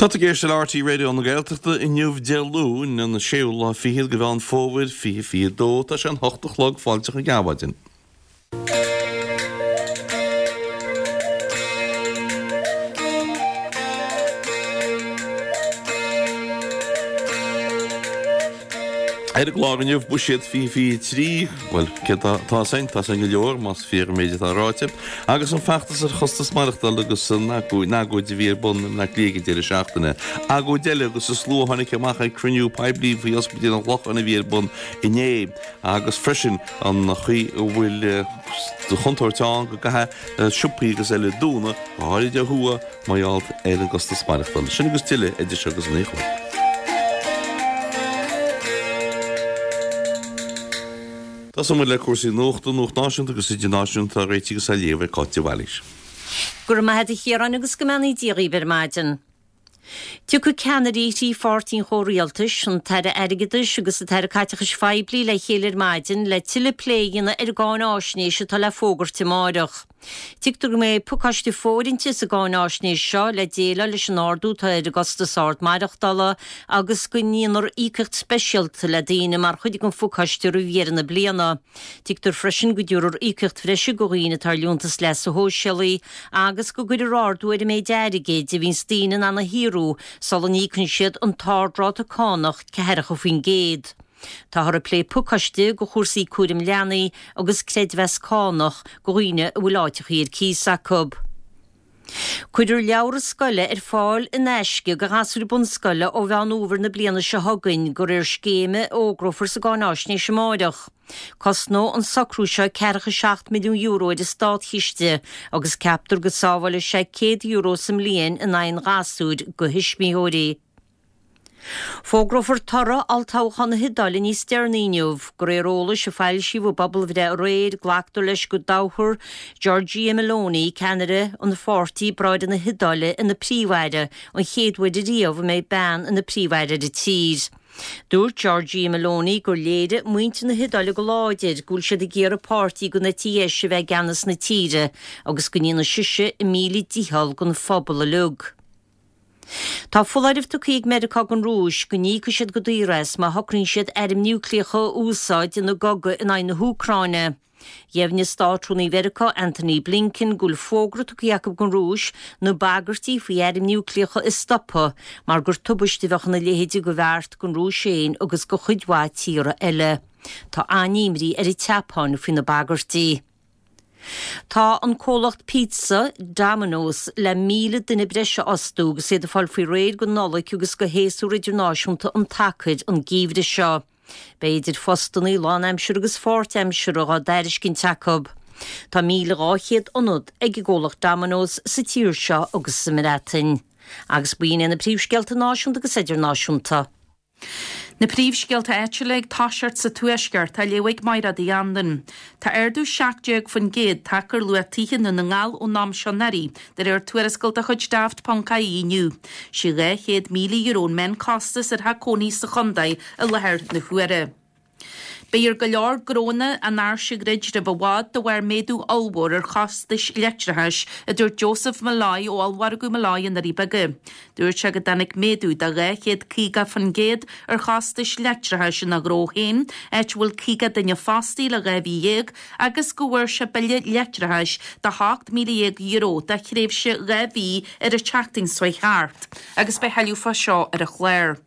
Tá tú ag éisteacht le RTÉ Raidió na Gaeltachta inniu Dé Luain an séú lá fichead de Mheán Fómhair 2022. Tá sé an hocht a chlog, fáilte chuig Adhmhaidin. Ar an gclár inniu, Buiséad 2023, bhuel, céard atá as ann? Tá as ann go leor, más fíor an méid atá ráite. Agus an feachtas ar chostas maireachtála agus an agóid a bhí ar bun i mBleá Cliath ag an deireadh seachtaine. Agóid eile agus an slua a tháinig amach ag cruinniú poiblí faoi Ospidéal an Chlocháin a bhí ar bun inné. Agus freisin an chaoi a bhfuil de chontúirt ann go gcaithfidh siopaí agus eile dúnadh, go háirid ó thuaidh, mar gheall ar an gcostas maireachtála. Sin agus tuilleadh idir seo agus a naoi a chlog. Tosóidh muid le cúrsaí nuachta, nuacht náisiúnta agus idirnáisiúnta á réiteach agus á léamh ag Cáit de Bhailís. Go raibh maith a't a Chiaráin agus go mbeannaí Dia dhaoibh ar maidin. Tiocfaidh ceannairí thrí pháirtí an chomhrialtais, an tAire Airgeadais agus an tAire Caiteachais Phoiblí le chéile ar maidin le tuilleadh plé a dhéanamh ar an gcáináisnéis atá le fógairt amáireach. Tuigtear go mbeidh pacáiste fóirithinte sa gcáináisnéis seo le déileáil leis an ardú atá ar an gcostas ard maireachtála agus go ndéanfar íocaíocht speisialta le daoine mar chuid den phacáiste roimh dheireadh na bliana. Tuigtear freisin go dtabharfar íocaíocht bhreise do dhaoine atá ar liúntas leasa shóisialaigh agus go gcuirfear ardú ar an méid airgid a bhíonns daoine in ann a shaothrú sula n-íocann siad an t-ardráta cánach 40%. Táthar ag plé pacáiste do chúrsaí cúraim leanaí agus creidmheas cánach do dhaoine a bhfuil áiteachaí ar cíos acu. Cuirfear leabhra scoile ar fáil in aisce do ghasúir bunscoile ó Mheán Fhómhair na bliana seo chugainn, de réir scéime a fhógrófar sa gcáináisnéis amáireach. Cosnóidh an socrú seo €47 milliún ar an státchiste agus ceaptar go sábhálfaidh sé €100 sa mbliain in aghaidh an ghasúir do thuismitheoirí. Fógrófar toradh olltoghchán na hIodáile níos deireanaí inniu. De réir eolais a foilsíodh i bpobalbhreith aréir, glactar leis go dtoghfar Giorgia Meloni, ceannaire an pháirtí Bráithre na hIodáile, ina príomh-aire, an chéad uair ariamh a mbeidh bean ina príomh-aire ar an tír. Dúirt Giorgia Meloni gur léirigh muintir na hIodáile go láidir go bhfuil siad ag iarraidh páirtí den eite dheis a bheith i gceannas na tíre agus go ndéanfaidh sise a míle dícheall don phobal uilig. Tá foláireamh tugtha ag Meiriceá don Rúis go n-íocfaidh siad go daor as má shocraíonn siad airm núicléacha a úsáid ina gcogadh in aghaidh na hÚcráine. Dheimhnigh Státrúnaí Mheiriceá Antony Blinken go bhfuil fógra tugtha acu don Rúis na bagairtí faoi airm núicléacha a stopadh mar gur tubaiste a bheadh ina leithéid de bheart don Rúis féin agus do chuid mhaith tíortha eile. Tá an-imní ar an tSeapáin faoi na bagairtí. Tá an comhlacht pizza, Domino's, le 1,000 duine breise a fhostú agus iad ag fáil faoi réir don Nollaig agus do shéasúr idirnáisiúnta an tsacair an geimhreadh seo. Beidh idir phostannaí lánaimseartha agus pháirtaimseartha á dtairiscint acu. Tá 1,200 ionad ag an gcomhlacht Domino's sa tír seo agus sa mBreatain. Agus b'in iad na príomhscéalta náisiúnta agus idirnáisiúnta. Na príomhscéalta áitiúla ag toiseacht sa Tuaisceart á léamh ag Mairéad Uí Anluain. Tá ardú 17% tagtha ar luach tithe i nDún na nGall ón am seo anuraidh, de réir tuarascáil de chuid Daft.ie inniu. Sé €200,000 an meánchostas ar theach cónaithe sa chontae i láthair na huaire. Beidh ar go leor gnónna an áirse a dhruid roimh i bhfad de bharr méadú ollmhór ar chostais leictreachais, a dúirt Joseph Molloy ó Ollmhargadh Molloy i nDoirí Beaga. Dúirt sé go dtáinig méadú de 250% ar chostais leictreachais ina ghnó féin, áit a bhfuil 50 duine fostaithe le 12 mhí, agus go bhfuair sé bille leictreachais de €18,000 do thréimhse 2 mhí ar an tseachtain seo chuaigh thart, agus beidh tuilleadh fá seo ar an chlár.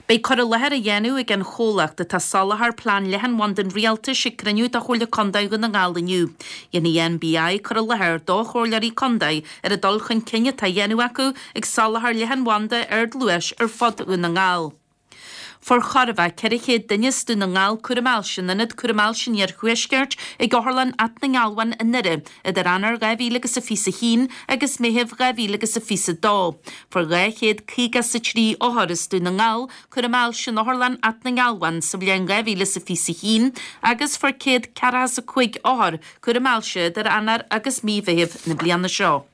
Beidh cur i láthair á dhéanamh ag an chomhlacht atá ag soláthar plean leathanbhanda an Rialtais ag cruinniú de Chomhairle Contae Dhún na nGall inniu. Dhéanfaidh NBI cur i láthair do chomhairleoirí contae ar an dul chun cinn atá á dhéanamh acu ag soláthar leathanbhanda ardluais ar fud Dhún na nGall. Fuair chóir a bheith 400 duine as Dún na nGall cúram ailse in Ionad Cúraim Ailse an Iarthuaiscirt ag Otharlann Áth na nGealbhán i nDoire idir Eanáir 2021 agus Meitheamh 2022. Fuair 253 othar as Dún na nGall cúram ailse in Otharlann Áth na nGealbhán sa bhliain 2021 agus fuair 145 othar cúram ailse idir Eanáir agus mí Mheithimh na bliana seo.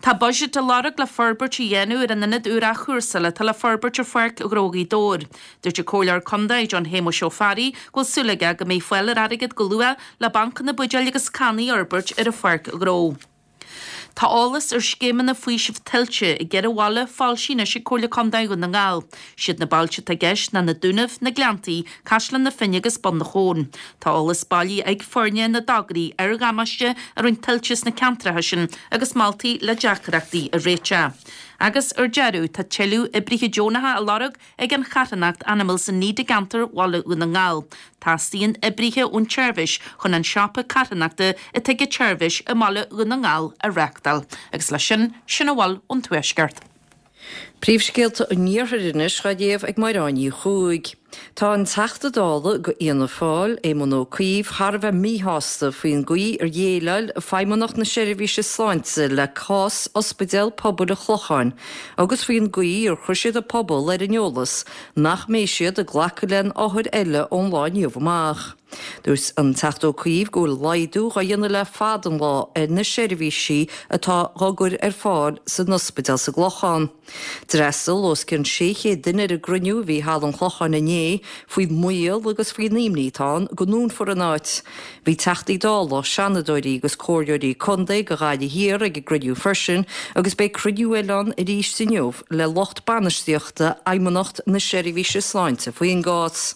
Tá buiséad á lorg le forbairt a dhéanamh ar an ionad úr athchúrsála atá le forbairt ar Pháirc Ghnó Ghaoth Dobhair. Dúirt an Comhairleoir Contae, John Shéamuis Ó Fearraigh, go bhfuil súil aige go mbeidh fáil ar airgead go luath le bancanna buidéil agus cannaí a fhorbairt ar an pháirc ghnó. Tá eolas ar scéimeanna faoisimh tuilte i gceithre bhaile foilsithe anois ag Comhairle Contae Dhún na nGall. Siad na bailte atá i gceist ná na Dúnaibh, na Gleanntaí, Caisleán na Finne agus Bun na Chon. Tá eolas bailithe ag foirne na dtograí ar dhamáiste a rinne tuilte sna ceantracha sin agus moltaí le deacrachtaí a réiteach. Agus ar deireadh, tá tuilleadh oibrithe deonacha á lorg ag an charthanacht Animals in Need i gceantar Bhaile Dhún na nGall. Teastaíonn oibrithe ón tseirbhís chun an siopa carthanachta atá ag an tseirbhís i mBaile Dhún na nGall a reáchtáil. Agus leis sin, sin a bhfuil ón Tuaisceart. Príomhscéalta an Iarthair anois á léamh ag Máire Ní Chuaig. Tá an Teachta Dála do Fhianna Fáil, Éamon Ó Cuív, thar a bheith míshásta faoin gcaoi ar dhéileáil Feidhmeannacht na Seirbhíse Sláinte le cás Ospidéal Pobail an Chlocháin agus faoin gcaoi ar chuir siad an pobal ar an eolas nach mbeidh siad ag glacadh le haon othair eile ón lá inniu amach. Dúirt an Teachta Ó Cuív go bhfuil laghdú dhá dhéanamh le fada an lá ar na seirbhísí atá dhá gcur ar fáil san ospidéal sa gClochán. D'fhreastail os cionn 600 duine ar an gcruinniú a bhí i Halla an Chlocháin inné faoin mbaol agus faoin imní atá ann go ndúnfar an áit. Bhí Teachtaí Dála, Seanadóirí agus Comhairleoirí Contae do Ghaillimh Thiar ag an gcruinniú freisin agus beidh cruinniú eile ann arís inniu le lucht bainistíochta Fheidhmeannacht na Seirbhíse Sláinte faoin gcás.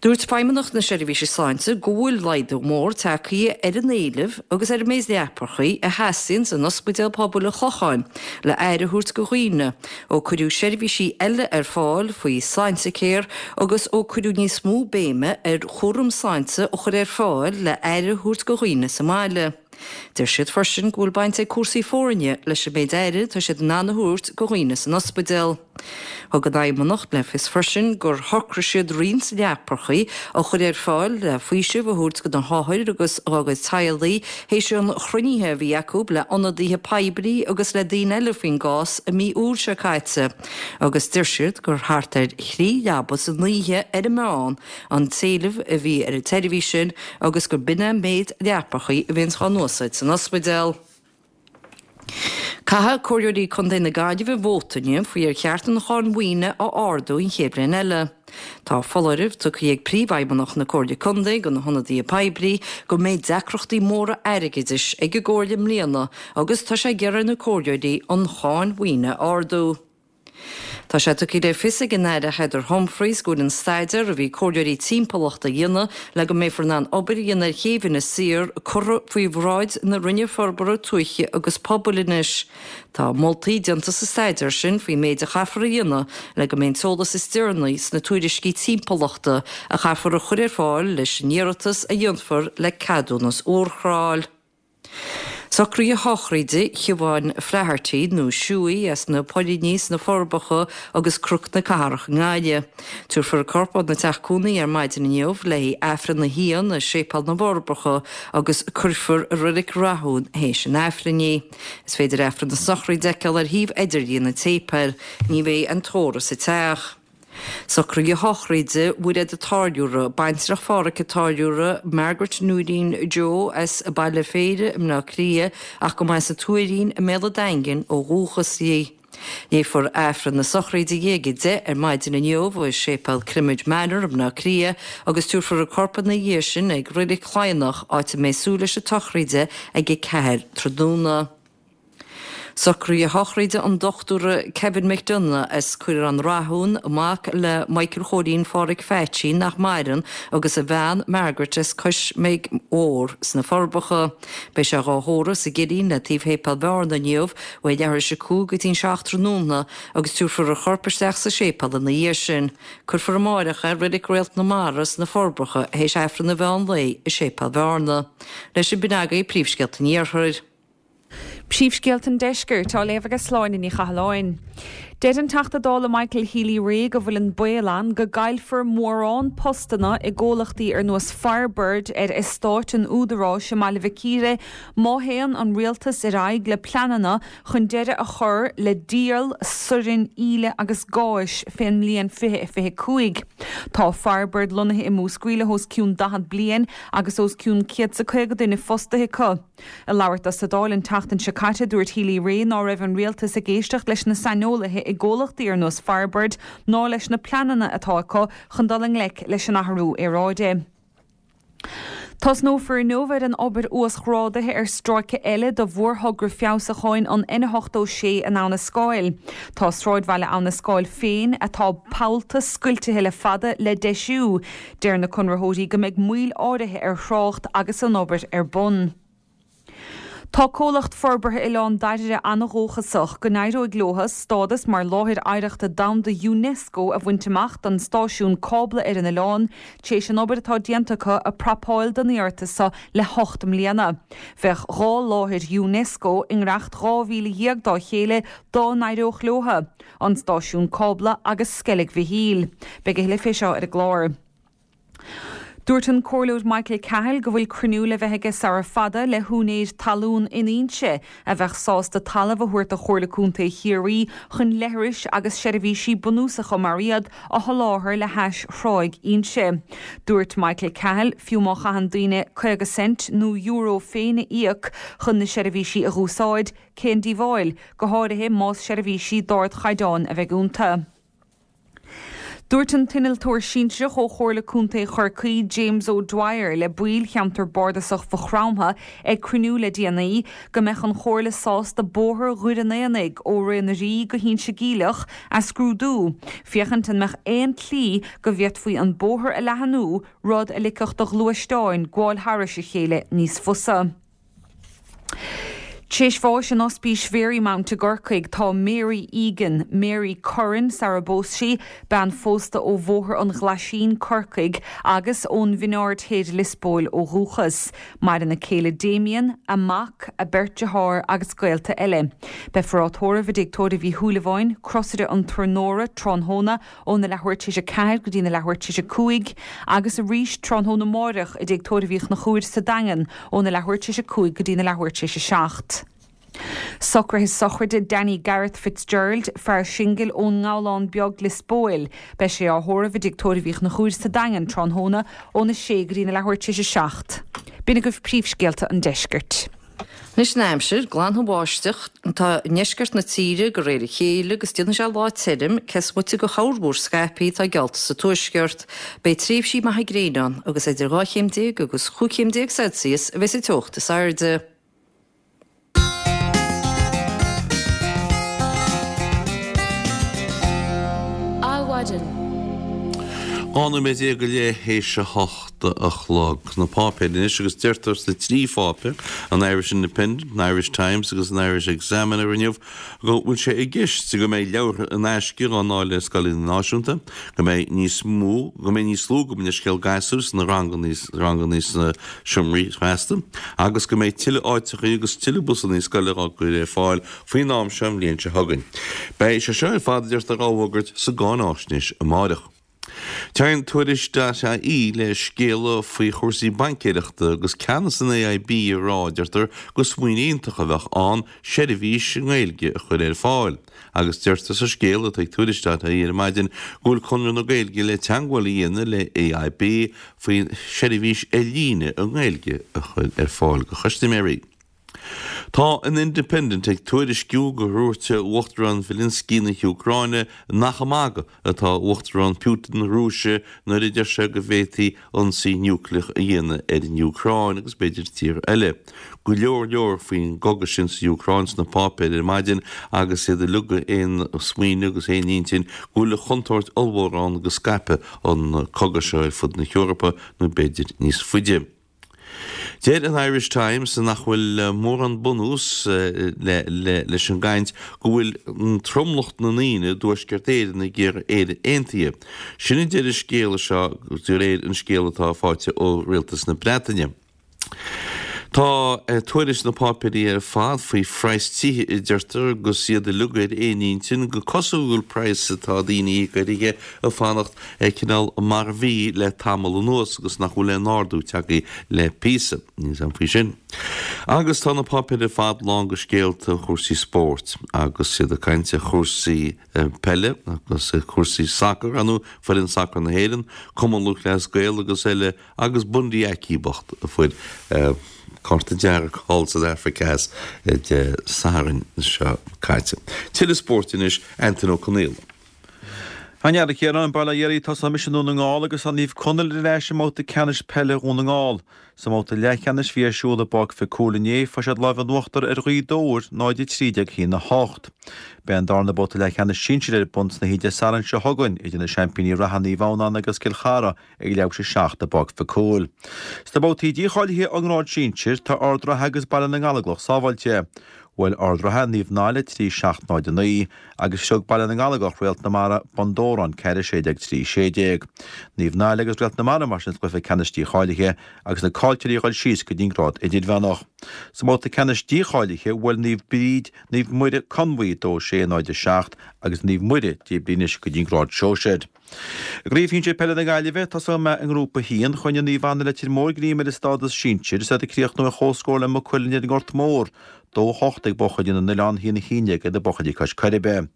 Dúirt Feidhmeannacht na Seirbhíse Sláinte go bhfuil laghdú mór tagtha ar an éileamh agus ar an méid leapacha a theastaíonn in Ospidéal Pobail an Chlocháin le aire a thabhairt do dhaoine ó cuireadh seirbhísí eile ar fáil faoi Sláintecare agus ó cuireadh níos mó béime ar chúram sláinte a chur ar fáil le aire a thabhairt do dhaoine sa mbaile. Deir siad freisin go bhfuil baint ag cúrsaí foirne leis an méid aire atá siad in ann a thabhairt do dhaoine san ospidéal. Thug an Fheidhmeannacht le fios freisin gur shocraigh siad roinnt leapacha a chur ar fáil le faoiseamh a thabhairt do na hothair agus dá gcuid teaghlaigh théis an chruinnithe a bhí acu le ionadaithe poiblí agus le daoine eile faoin gcás i mí Iúil seo caite agus deir siad gur thart ar thrí leaba san oíche ar an meán an t-éileamh a bhí ar an tseirbhís sin agus gur b'in é an méid leapacha a bhíonns dhá n-úsáid san ospidéal. Caithfidh Comhairleoirí Contae na Gaillimhe vóta inniu faoi ar cheart an cháin mhaoine a ardú an chéad bhliain eile. Tá foláireamh tugtha ag Príomhfheidhmeannach na Comhairle Contae do na hionadaithe poiblí go mbeidh deacrachtaí móra airgeadais ag an gComhairle i mbliana agus tá sé ag iarraidh ar na Comhairleoirí an cháin mhaoine a ardú. Tá sé tugtha le fios ag an Aire Heather Humphreys go bhfuil an staidéar a bhí comhairleoirí timpeallachta a dhéanamh le go mbeifear in ann obair a dhéanamh ar chéibh Inis Oírr curtha faoi bhráid na Roinne Forbartha Tuaithe agus Pobail anois. Tá moltaí déanta sa staidéar sin faoin méid a chaithfear a dhéanamh le go mbeidh an t-eolas is deireanaí sna tuairiscí timpeallachta a chaithfear a chur ar fáil leis an iarratas a dhéanfar le ceadúnas urchráil. Socruithe sochraide Shiobháin Flaherty, nó Shuey, as na Poilíní sna Forbacha agus Cnoc na Cathrach i nGaillimh. Tabharfar a corp óna teach cónaí ar maidin inniu le haghaidh Aifreann a haon i Séipéal na bhForbacha agus cuirfear i Reilig Rathún théis an Aifrinn í. Is féidir Aifreann na sochraide a fheiceáil ar shuíomh idirlíon an tséipéil. Ní bheidh an tórramh sa teach. Socruithe sochraide Mhuiréad a' Táilliúra, baintreach Phádhraic a' Táilliúra, Margaret Nóirín Joe as Baile Phéire i mBleá Cliath ach go mba as an Tuairín i mBéal an Daingin ó dhúchas di. Léifear Aifreann na sochraide di ag 10 ar maidin inniu i Séipéal Crimid Manor i mBleá Cliath agus tabharfar a corp ina dhiaidh sin ag Reilig Chladhnach áit a mbeidh súil leis an tsochraide ag 4 tráthnóna. Socruithe sochraide an Dochtúra Kevin McDonagh as Caorán Rathún, mac le Michael Chóilín Phádhraic Pheaitsí, nach maireann, agus a bhean Margaret as Cois Mheig Mhór sna Forbacha. Beidh sé dhá thórramh sa gCillín le taobh Shéipéal Bhearna inniu, ó leathuair tar éis a 5 go dtí'n 7 tráthnóna agus tabharfar a chorp isteach sa séipéal ina dhiaidh sin. Cuirfear amáireach é i Reilig Réalt na Mara sna Forbacha théis Aifreann an mheán lae i Séipéal Bhearna. Leis sin b'in agaibh príomhscéalta an Iarthair. Príomhscéalta an Deiscirt á léamh ag Sláine Ní Chathalláin. Deir an Teachta Dála Michael Healy-Rae go bhfuil an baol ann go gcaillfear mórán postanna i gcomhlachtaí ar nós Firebird ar eastáit an Údaráis i mBaile Mhic Íre má théann an rialtas ar aghaidh le pleananna chun deireadh a chur le díol soirn íle agus gáis fén mbliain 2025. Tá Firebird lonnaithe i Múscraí le hos cionn 40 bliain agus os cionn 150 duine fostaithe acu. Ag labhairt dó sa Dáil an tseachtain seo caite, dúirt Healy-Rae ná raibh an rialtas ag éisteacht leis na saineolaithe i gcomhlachtaí ar nós Firebird ná leis na pleananna atá acu chun dul i ngleic leis an athrú aeráide. Tosnófar inniu ar an obair uasghrádaithe ar stráice eile de mhórthogra feabhsúcháin an N86 in Abha na Scáil. Tá sráidbhaile Abha na Scáil féin, atá pollta scoiltithe le fada, le deisiú. Deir na conraitheoirí go mbeidh moill áirithe ar thrácht agus an obair ar bun. Tá Comhlacht Forbartha Oileán Dairbhre an-dhóchasach go n-éireoidh leo stádas mar Láthair Oidhreachta Domhanda Unesco a bhaint amach don stáisiún cábla ar an oileán, tar éis an obair atá déanta acu ag prapáil don iarratas seo le hocht mbliana. Bheadh 2 láthair Unesco i ngiorracht 12 mhíle dá chéile dá n-éireodh leo, an stáisiún cábla agus Sceilg Mhichíl. Beidh a thuilleadh fé seo ar an gclár. Dúirt an Comhairleoir Michael Cahill go bhfuil cruinniú le bheith aige sara fada le húinéir talún in Inse a bheadh sásta talamh a thabhairt do Chomhairle Contae Chiarraí chun leithris agus seirbhísí bunúsacha mar iad a sholáthar le hais Thráigh Inse. Dúirt Michael Cahill fiú má chaitheann daoine 50 cent nó euro féin a íoc chun na seirbhísí a dh'úsáid, cén díobháil, go háirithe más seirbhísí d'ardchaighdeán a bheidh iontu. Dúirt an t-innealtóir sinsearach ó Chomhairle Contae Chorcaí, James O'Dwyer, le baill cheantar bardasach Mhaigh Chromtha ag cruinniú le déanaí, go mbeadh an Chomhairle sásta bóthar Dhoire an Aonaigh ó Ré na Rí go hInse Geimhleach a scrúdú, féachaint an mbeadh aon tslí go bhféadfaí an bóthar a leathnú, rud a ligfeadh do ghluaisteáin gabháil thairis a chéile níos fusa. Tar éis bháis in Ospís Mharymount i gCorcaigh tá Mary Egan, Mary Curran sara bpós sí, bean phósta ó Bhóthar an Ghlaisín, Corcaigh, agus ón Bhinn Aird Thoir, Liospóil ó dhúchas. Maireann a céile Damien, a mac, a beirt dearthár agus gaolta eile. Beifear á tórramh i dTigh Tórraimh Uí Shúilleabháin, Crosaire an Tornóra, tráthnóna óna leathuair tar éis 4 go dtína leathuair tar éis 5, agus arís tráthnóna amáireach i dTigh Tórraimh Uí Chonchúir sa Daingean óna leathuair tar éis 5 go dtína leathuair tar éis 7. Socruithe sochraide Danny Gareth Fitzgerald, fear singil ón nGabhlán Beag, Liospóil. Beidh sé á thórramh i dTigh Tórraimh Uí Chonchúir sa Daingean tráthnóna óna 6 go dtína leathuair tar éis 7. B'in agaibh príomhscéalta an deiscirt. Anois an aimsir, glanfaidh an bháisteach atá i ndeisceart na tíre de réir a chéile agus déanfaidh sé lá tirim, cé is moite de chorrmhúr scaipthe atá geallta sa tuaisceart. Beidh tréimhsí maithe gréine ann agus idir 12 chéim agus 15 chéim Celsius a bheidh sa teocht is airde. Adhmhaidin. 12 nóiméad go leith théis a hocht a chlog. Na páipéir anois agus deirtear sna trí pháipéar, an Irish Independent, an Irish Times agus an Irish Examiner inniu go bhfuil sé i gceist go mbeidh leabhartha in aisce á ndáileadh i scoileanna náisiúnta, go mbeidh níos mó, go mbeidh níos lú, gabh mo leithscéal, gasúir sna ranganna, ranganna sna seomraí feasta agus go mbeidh tuilleadh áiteachaí agus tuilleadh busanna scoile á gcur ar fáil faoin am seo an bhliain seo chugainn. Beidh sé seo ar fad, a deirtear, á bhfógairt sa gcáináisnéis amáireach. Téann Tuairisc dot ie le scéala faoi chúrsaí baincéireachta agus ceannas an AIB ag rá, deirtear, gur smaoineamh iontach a bheadh ann seirbhís i nGaeilge a chur ar fáil. Agus deirtear sa scéal atá ag Tuairisc dot ie ar maidin go bhfuil Conradh na Gaeilge le teagmháil a dhéanamh le AIB faoi sheirbhís ar líne i nGaeilge a chur ar fáil do chustaiméirí. Tá an Independent ag tuairisciú gur dhúirt Uachtarán Zelensky na hÚcráine nach ag magadh atá Uachtarán Putin na Rúise nuair a deir sé go bhféadfaí ionsaí núicléach a dhéanamh ar an Úcráin agus b'fhéidir tíortha eile. Go leor leor faoin gcogadh sin sa Úcráin sna páipéir ar maidin agus iad uilig ar aon smaoineamh agus aon intinn go bhfuil chontúirt ollmhór ann go scaipfidh an cogadh seo ar fud na hEorpa nó b'fhéidir níos faide. Deir an Irish Times nach bhfuil mórán bunús leis an gcaint go bhfuil tromlach na ndaoine i dTuaisceart Éireann ag iarraidh Éire aontaithe. Sin a deir an scéal seo de réir an scéal atá faighte ó Rialtas na Breataine. Tá tuairisc sna páipéirí ar fad faoi phraghas tithe a deirtear agus iad uilig ar aon intinn gur cosúil go bhfuil praghas atá daoine ag íoc ar thithe ag fanacht cineál mar a bhí le tamall anuas agus nach bhfuil aon ardú tagtha le píosa. Níl a fhios agam faoi sin. Agus tá na páipéir ar fad lán de scéalta chúrsaí spóirt agus iad ag caint ar chúrsaí peile agus cúrsaí sacair, ar ndóigh, foireann sacair na hÉireann, Cumann Lúthchleas Gael agus eile agus Bundee Aki bocht a fuair cárta dearg thall san Afraic Theas Dé Sathairn seo caite. Tuilleadh spóirt anois, Antain Ó Conaola. A Chiaráin, bail ó Dhia oraibh, tosóidh mise i nDún na nGall agus tá Naomh Conaill ar ais i mbabhta ceannais peile Dhún na nGall. Sa mbabhta leathcheannais a bhí ar siúl i bPáirc Mhic Cumhaill inné, fuair siad lámh in uachtar ar Ghaoth Dobhair, 0-13 1-8. Beidh an darna babhta leathcheannais sinsir ar bun san oíche Dé Sathairn seo chugainn idir na seaimpíní reatha Naomh Adhamhnáin agus Cill Chartha ag leathuair tar éis a 7 i bPáirc Mhic Cumhaill. Sna babhtaí dícháilithe ón ngrád sinsir, tá Ard Ratha agus Baile na nGallóglach sábháilte. Bhuail Ard Ratha Naomh Niall 3 7 0 9 agus shrioc Baile na nGallóglach Réalt na Mara, Bun Dobhráin 4 16 3 16. Naomh Niall agus Réalt na Mara mar sin sa gcluiche ceannais dícháilithe agus na caillteoirí ag dul síos go dtí an grád idirmheánach. Sa mbabhta ceannais dícháilithe bhuail Naomh Bríd Naomh Muire Conmhaí 2 6 0 7 agus Naomh Muire díbrithe anois go dtí an grád sóisir. I gCraobh Shinsir Peile na Gaillimhe, tosóidh mé i nGrúpa 1. Choinnigh Naomh Anna Leitir Móir greim ar a stádas sinsir is iad ag críochnú ar chomhscór le Maigh Cuilinn ar an nGort Mór, 2, 8 ag buachaillí na nOileán, 1, 11 ag na buachaillí cois Coiribe.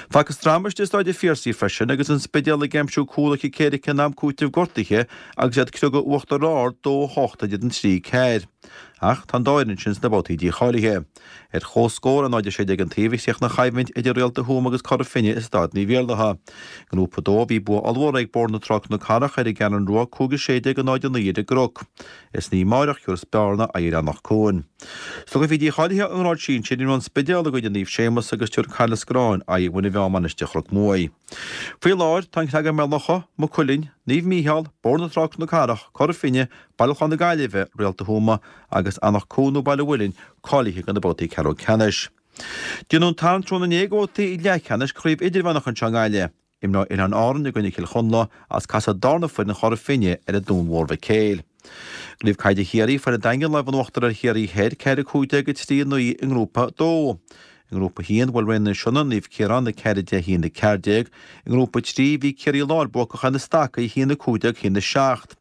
Facthas dráma istigh i Stáid an Phiarsaigh freisin agus an Spidéal ag aimsiú cúl a chic éirice in am cúitimh gortaithe agus iad ag criogadh Uachtar Ard, 2, 8 idir an 3, 4. Ach tá an dá fhoireann sin sna babhtaí dícháilithe. Ar comhscór 0, 16 an taobh a chríochnaigh an choimhlint idir Réalta Thuama agus Cora Finne i Staid Naomh Iarlaithe. I nGrúpa 2 bhí bua ollmhór ag Bóthar na Trá Cnoc Carrach ar an gCeathrú Rua 5, 16 0, 9 ar an gCnoc. Is san oíche amárach a thabharfas Bearna aghaidh ar Anach Cuain. Sna cluichí dícháilithe ón ngrád sinsir imreoidh An Spidéal i gcoinne Naomh Séamus agus tabharfaidh Caisleán Scoráin aghaidh ar Mhuine Mheá Mainistir Chnoc Muaidh. Faoi láthair tá an Creagán Béal Locha, Maigh Cuilinn, Naomh Mícheál, Bóthar na Trá Cnoc Carrach, Cora Finne, Baile Chláir na Gaillimhe, Réalta Thuama agus Anach Cuain nó Baile an Mhuilinn cáilithe do na babhtaí ceathrú ceannais. Déanadh an tarraingt tráthnóna inné do bhabhtaí leathcheannais Chraobh Idirmheánach anseo i nGaillimh. Imreoidh Oileáin Árann i gcoinne Chill Chonla agus casfaidh darna foireann Chora Finne ar an Dún Mhór Mhic Éil. I gCraobh Caide Chiarraí fuair an Daingean lámh in uachtar ar Chiarraí Thoir 4 15 3 9 i nGrúpa 2. I nGrúpa 1 bhuail Raon na Sionna Naomh Ciarán 4 10 1 14. I nGrúpa 3 bhí Ciarraí Láir buacach ar na Stacaigh 1 15 1 7.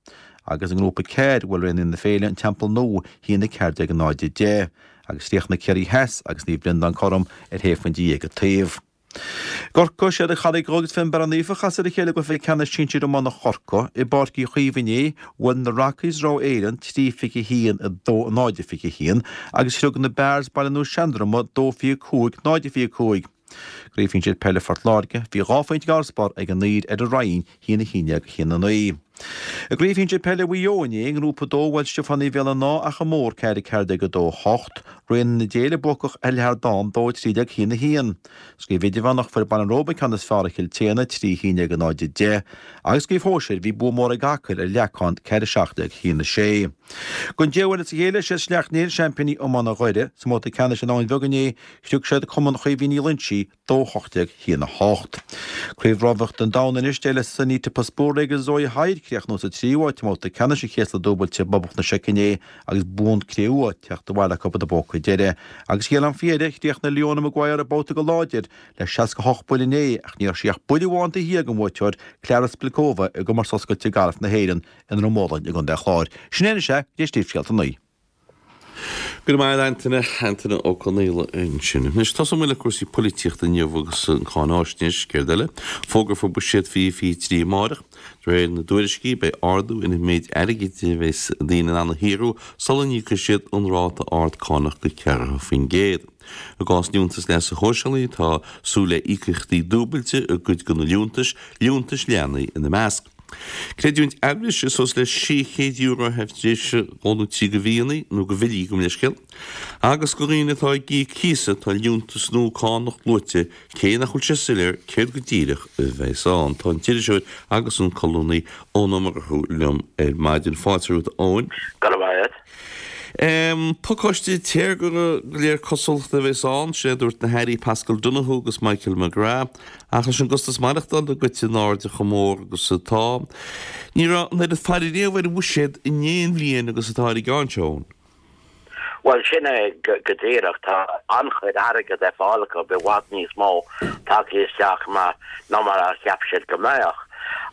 Agus i nGrúpa 4 bhuail Raon na Féile An Teampall Nua 1 14 0 10. Agus chríochnaigh Ciarraí Theas agus Naomh Breandán cothrom ar shé phointe dhéag an taobh. I gCorcaigh, siad an Charraig Dhubh agus Fionnbarra Naofa a chas ar a chéile i gcluiche ceannais sinsir iomána Chorcaí i bPáirc Uí Chaoimh inné. Bhuail na Rockies Ráth Éileann 3 21 2 0 21 agus shrioc na Bears Baile Nua Seandroma 2 25 0 25. I gCraobh Shinsir Peile Phort Láirge, bhí dhá phointe d'fharasbarr ag an Uidhir ar an Rinn, 1 11 1 9. I gCraobh Shinsir Peile Mhaigh Eo inné, i nGrúpa 2, bhuail Stiofáin Uí Mhaolanná Achadh Mór 4 14 2 8, Raon na Féile buacach ar Leathardán 2 13 1 1. Sa gCraobh Idirmheánach fuair Baile an Róba an ceann is fearr ar Chill tSéadhna 3 11 0 10 agus sa gCraobh Shóisir bhí bua mór ag Acaill ar Leacán 4 17 1 6. Don deiú huair as a chéile is iad Sleacht Néill seaimpíní iomána Dhoire. Sa mbabhta ceannais in Abhainn Bheag inné shrioc siad Cumann Chaoimhín Uí Loinsigh 2 18 1 8. Craobh Rámhaíochta an Domhain anois, d'éirigh le Sanita Puspure agus Zoe Hyde críochnú sa tríú háit i mbabhta ceannais an chéasla dúbailte i bPoblacht na Seice inné agus bonn cré-umha teacht abhaile acu ina bpóca deiridh. Agus thiar faoi dheireadh, chríochnaigh Leona Maguire an babhta go láidir le 68 buille inné ach ní raibh sí ach buille amháin taobh thiar den bhuaiteoir Klara Spilková i gcomórtas oscailte gailf na hÉireann i nDroim Ólainn i gContae an Chláir. Sin é anois é, go dtí Scéalta a 9. Go raibh maith agat Antaine, Antaine Ó Conaola ansin. Anois tosóidh muid le cúrsaí polaitíochta inniu agus an cáináisnéis, céard eile? Fógrófar buiséad 2023 amáireach. De réir na dtuairiscí beidh ardú ar an méid airgid a bheas daoine in ann a shaothrú sula n-íocfaidh siad an ráta ard cánach de 40%. I gcás liúntas leasa shóisialaigh tá súil le íocaíochtaí dúbailte i gcuid de na liúntais, liúntais leanaí ina measc. Creidiúint ailbhrise suas le €600 a theip tar éis dhó nó trí de mhíonna, nó de bhillí, gabh mo leithscéal. Agus do dhaoine atá ag íoc cíosa, tá liúntas nua cánach luaite, cé nach bhfuil sé soiléir céard go díreach a bheas ann. Tá an t-iriseoir agus an colúnaí Eoin Ó Murchú liom ar maidin. Fáilte romhat, a Eoin. Go raibh maith agat. Pacáiste téagartha de réir cosúlachta a bheas ann, sin é a dúirt na hAirí Paschal Donohoe agus Michael McGrath. Ach leis an gcostas maireachtála goite in airde chomh mór agus atá, ní raibh an oiread faire riamh ar an bhuiséad in aon bhliain agus atá ar an gceann seo. Bhuel, sin é go díreach. Tá an-chuid airgid ar fáil acu, i bhfad níos mó tagtha isteach ná mar a cheap siad go mbeadh.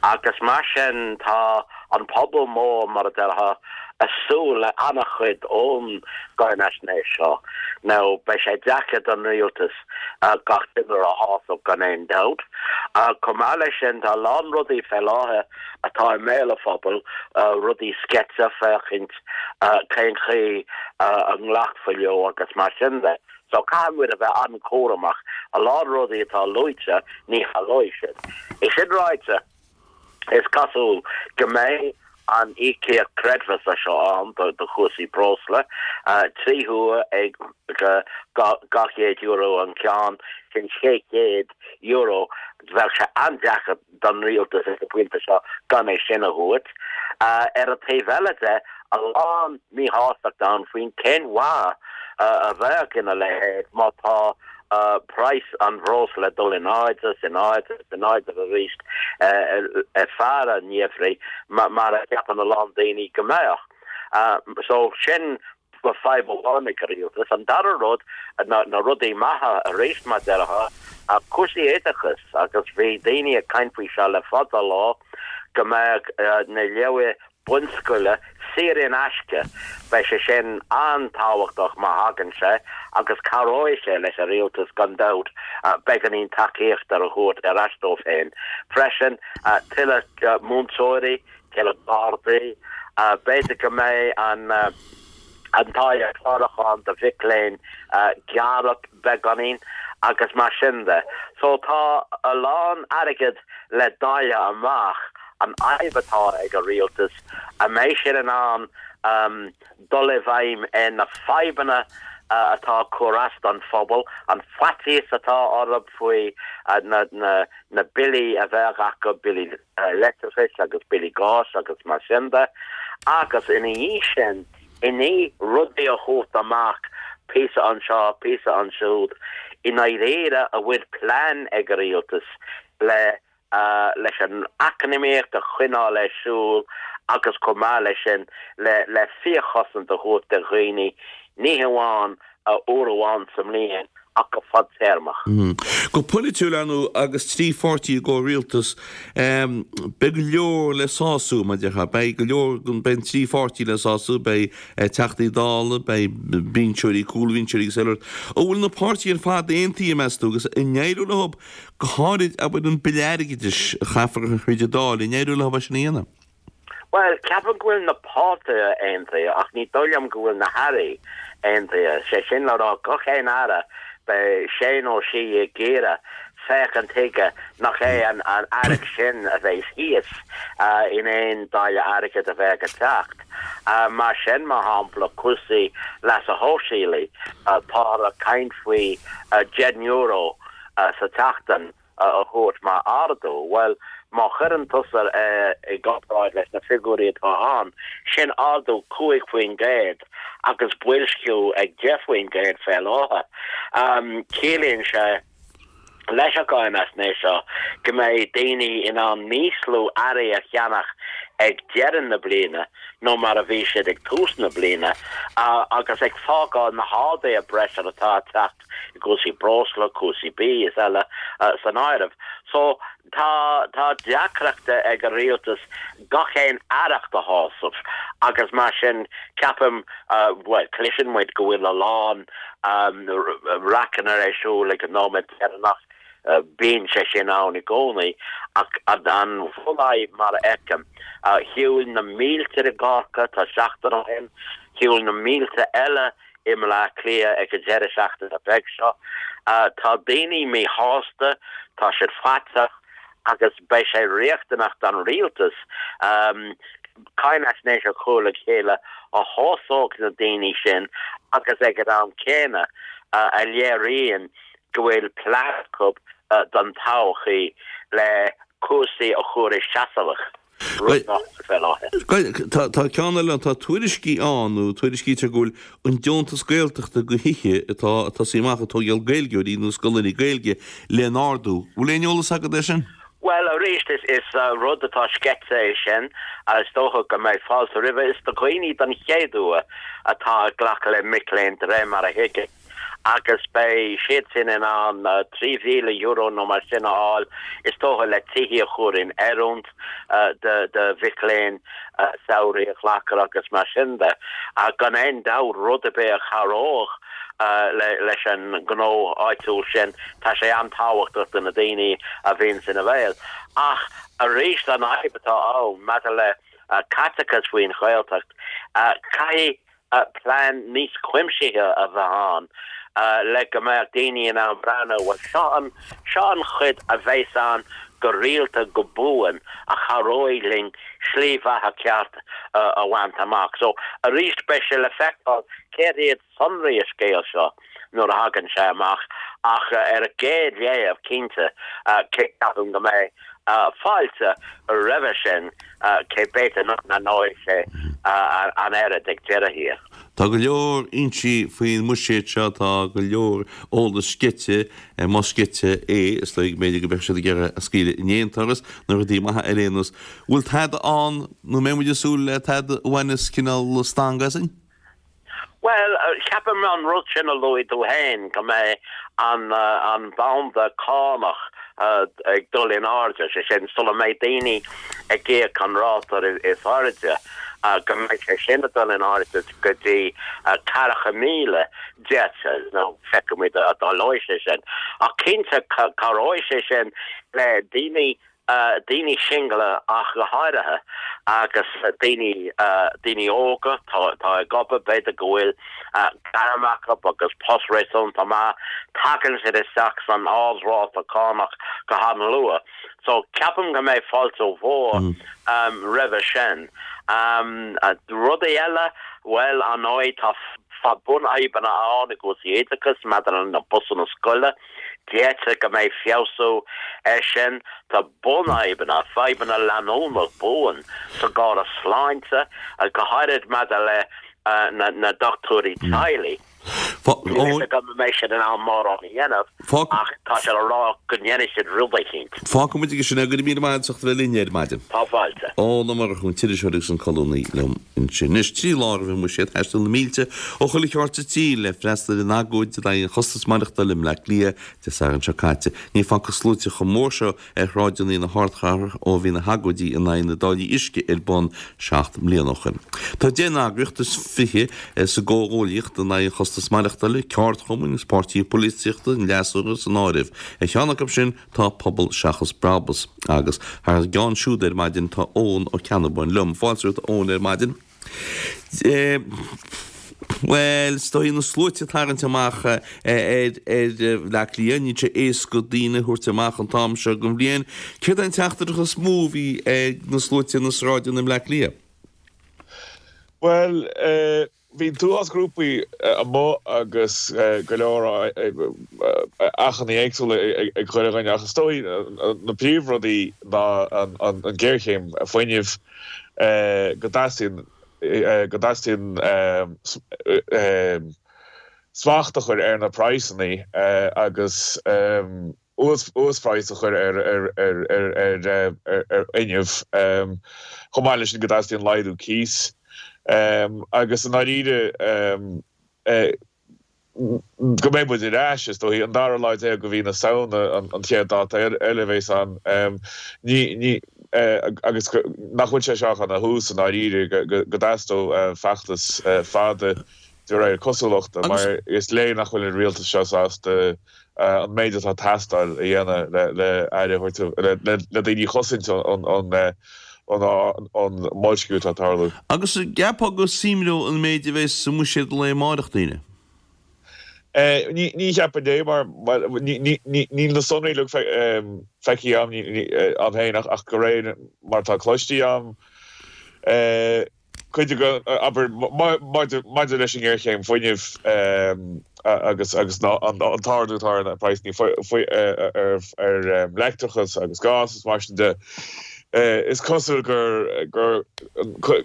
Agus mar sin tá an pobal mór, mar a déarfá, ag súil le an-chuid ón gcáinaisnéis seo. Now, beidh sé deacair don rialtas gach duine a shásamh gan aon dabht. Chomh maith leis sin, tá a lán rudaí fé láthair atá i mbéal an phobail, rudaí sceite, féachaint cén chaoi a nglacfaí leo agus mar sin de. So caithfidh muid a bheith an-chúramach. A lán rudaí atá luaite, ní tharlóidh siad. É sin ráite, is cosúil go mbeidh an íocaíocht creidmheasa seo ann do chúrsaí breosla, 3 huaire ag €200 an ceann, sin €600. Bheadh sé an-deacair don rialtas ag an bpointe seo gan é sin a thabhairt. Ar an taobh eile de, a lán míshástacht ann faoin cén mhaith a bheadh ina leithéid má tá praghas an bhreosla ag dul in airde is in airde is in airde arís ar feadh an gheimhridh mar a cheapann a lán daoine go mbeadh. So sin fadhb amháin ag an rialtas. An dara rud, na rudaí maithe arís mar déarfá, cúrsaí oideachais agus bhí daoine ag caint faoi seo le fada lá go mbeadh na leabhair bunscoile saor in aisce. Beidh sé sin an-tábhachtach má thagann sé agus cabhróidh sé leis an rialtas gan dabht beagáinín tacaíochta a thabhairt ar ais dóibh féin. Freisin, tuilleadh múinteoirí, tuilleadh gardaí, b'fhéidir go mbeidh an an táille clárúcháin do mhic léinn gearrtha beagáinín agus mar sin de. So tá a lán airgead le dáileadh amach, an fhadhb atá ag an rialtas, an mbeidh siad in ann dul i bhfeidhm ar na fadhbanna atá ag cur as don phobal, an faitíos atá orthu faoi na billí a bheadh acu, billí leictreachais agus billí gáis agus mar sin de, agus ina dhiaidh sin, i ndiaidh rudaí a thabhairt amach, píosa anseo, píosa ansiúd, i ndáiríre, an bhfuil plean ag an rialtas le leis an eacnamaíocht a choinneáil ar siúl agus chomh maith leis sin le le fíorchosaint a thabhairt do dhaoine, ní hamháin uair amháin sa mbliain ach go fadtéarmach. Go polaitiúil, ar ndóigh, agus 3 pháirtí i gcomhrialtas, beidh go leor le sású, mar a déarfá. Beidh go leor, beidh an 3 pháirtí le sású, beidh Teachtaí Dála, beidh binseoirí, cúlbhinseoirí agus eile. An bhfuil na páirtithe ar fad aontaithe, meas tú, agus an éireoidh leo, go háirid, abair, an Bille Airgeadais a chaithfear a chur thríd an Dáil, an éireoidh leo é sin a dhéanamh? Bhuel, ceapaim go bhfuil na páirtithe aontaithe ach ní dóigh liom go bhfuil na hairí aontaithe. Sé sin le rá, gach aon aire, beidh sé nó sí ag iarraidh féachaint chuige nach é an aireacht sin a bheas thíos in aon dáileadh airgid a bheadh ag teacht. Mar sin, mar shampla, cúrsaí leasa shóisialaigh, táthar ag caint faoi €10 sa tseachtain a thabhairt mar ardú. Bhuel, má chuireann tusa é i gcomparáid leis na figiúirí atá ann, sin ardú 5% agus boilsciú ag 10% fé láthair. Ciallaíonn sé leis an gcáinaisnéis seo go mbeidh daoine in ann níos lú earraí a cheannach ag deireadh na bliana ná mar a bhí siad ag tús na bliana agus ag fágáil na harduithe breise atá ag teacht i gcúrsaí breosla, cúrsaí bídh is eile san áireamh. So tá tá deacrachta ag an rialtas gach aon aireacht a shásamh agus mar sin ceapaim, bhuel cloiseann muid go bhfuil a lán raiceanna ar siúl ag an nóiméad deireanach, bíonn sé sin ann i gcónaí ach an bhunfhadhb mar a fheicim, shiúil na mílte i gCorcaigh tá seachtain ó shin, shiúil na mílte eile i mBleá Cliath ag an deireadh seachtaine beag seo. Tá daoine míshásta, tá siad faiteach agus beidh sé riachtanach don rialtas cáinaisnéis a chur le chéile a shásódh na daoine sin agus ag an am céanna a léiríonn go bhfuil plean acu don todhchaí le cúrsaí a chur i seasamh. Rud nach bhfuil fé láthair. Tá ceann eile ann, tá tuairiscí ann, nó tuairiscítear go bhfuil an deontas Gaeltachta do thithe atá ag tosaí amach ag tógáil Gaeilgeoirí nó scoileanna Gaeilge le n-ardú. Bhfuil aon eolas agat air sin? Bhuel, arís, is rud atá sceite é sin. Is dócha go mbeidh fáilte roimhe. Is do dhaoine don chéad uair atá ag glacadh le mic léinn de réir mar a thuigim. agus beidh siad sin in ann €3,000 nó mar sin a fháil, is dócha, le tithe a chur in oiriúint do mhic léinn samhraidh a ghlacadh agus mar sin de. Ach gan aon dabht, rud ar bith a chabhródh leis an ngnó áitiúil sin, tá sé an-tábhachtach do na daoine a bhíonns ina bhéal. Ach arís, an fhadhb atá ann maidir le caiteachas faoin Ghaeltacht, caithfidh plean níos cuimsithe a bheith ann. le go mbeadh daoine in ann breathnú, bhuel, seo an, seo an chuid a bheas ann go rialta, go buan, a chabhróidh linn slí bheatha ceart a bhaint amach. So, arís, beidh sé le feiceáil céard iad sonraí an scéil seo nuair a thagann sé amach ach ar an gcéad léamh, cinnte, ceapaim go mbeidh fáilte roimhe sin, cé b'fhéidir nach n-aithneoidh sé an oiread ag deireadh thiar. Tá go leor insithe faoin mbuiséad seo, tá go leor eolas sceite, más sceite é, is dóigh, b'fhéidir go mbeadh siad ag iarraidh a scaoileadh in aon turas, na rudaí maithe ar aon nós. Bhfuil tada ann, nó mbeidh muid ag súil le tada a bhaineas cineál stangadh asainn? Bhuel, ceapaim an rud sin a luaigh tú féin, go mbeidh an an banda cánach ag dul in airde, sé sin, sula mbeidh daoine ag íoc an ráta is airde, go mbeidh sé sin ag dul in airde go dtí 40,000 deirtear, nó feicfimid an dtarlóidh sé sin. Ach cinnte, cabhróidh sé sin le daoine daoine singile ach go háirithe, agus daoine, daoine óga atá ag obair, b'fhéidir go bhfuil gairm acu agus post réasúnta maith, tagann siad isteach san ardráta cánach go han-luath. So ceapaim go mbeidh fáilte mhór roimhe sin. Rudaí eile, bhuel, ar ndóigh, tá bunfhadhbanna ann i gcúrsaí oideachais maidir le na busanna scoile. Deirtear go mbeidh feabhsú air sin. Tá bunfhadhbanna, fadhbanna leanúnach buan sa gcóras sláinte, go háirid maidir le na dochtúirí teaghlaigh. Níl a fhios agam an mbeidh siad in ann mórán a dhéanamh ach tá siad ag rá go ndéanfaidh siad rud eicínt. Fágfaidh muid aige sin é. Go raibh míle maith agat as ucht a bheith linn ar maidin. Tá fáilte. Eoin Ó Murchú, an t-iriseoir agus an colúnaí liom. Ansin anois, 3 lá roimh an mbuiséad, thaistil na mílte ó chuile cheard sa tír le freastal ar an agóid in aghaidh an chostais maireachtála i mBleá Cliath Dé Sathairn seo caite. Ní facthas sluaite chomh mór seo ar shráideanna na hardchathrach ó bhí na hagóidí in aghaidh na dtáillí uisce ar bun 7 mbliana ó shin. Tá 10 n-eagraíocht is 20 sa gcomhghuaillíocht in aghaidh an chostais maireachtála, ceardchumainn agus páirtithe polaitíochta an fhreasúra san áireamh. Ar cheann acu sin, Tá Pobal Seachas Brabús agus thar a gceann siúd ar maidin tá Eoin Ó Ceannabháin liom. Fáilte romhat a Eoin ar maidin. Bhuel, is dóigh na sluaite ag tarraingt amach ar ar Bhleá Cliath, níl sé éasca daoine a thabhairt amach an t-am seo den bhliain. Céard é an teachtaireacht is mó a bhí ag na sluaite ar na sráideanna i mBleá Cliath? Bhuel, Bhí an t-uafás grúpaí amuigh agus go leor achainí éagsúla ag chuile dhuine ach is dóigh na príomhrudaí ná an ghéarchéim fuinnimh, go dteastaíonn go dteastaíonn smacht a chur ar na praghsanna agus uasphraghas a chur ar fhuinneamh, chomh maith leis sin go dteastaíonn laghdú cíos agus i ndáiríre go mbeidh muid ar ais, is dóigh, an dara lá déag de mhí na Samhna an chéad dáta eile a bheas ann agus nach bhfuil sé seo ach ina thús i ndáiríre, go dteastódh feachtas fada de réir cosúlachta mar is léir nach bhfuil an rialtas seo sásta an méid atá ag teastáil a dhéanamh le aire a thabhairt, le daoine a chosaint ón mboilsciú atá ag tarlú. Agus an gceapfá go suimreodh an méid a bheas sa mbuiséad lae amárach daoine? Ní cheapfainn é mar níl na sonraí uilig feicthe agam féin ach de réir mar atá cloiste agam, cuid de, abair, maidir leis an ngéarchéim fuinnimh agus an t-ardú atá ar na praghsanna ar leictreachas agus gás is mar sin de, is cosúil gur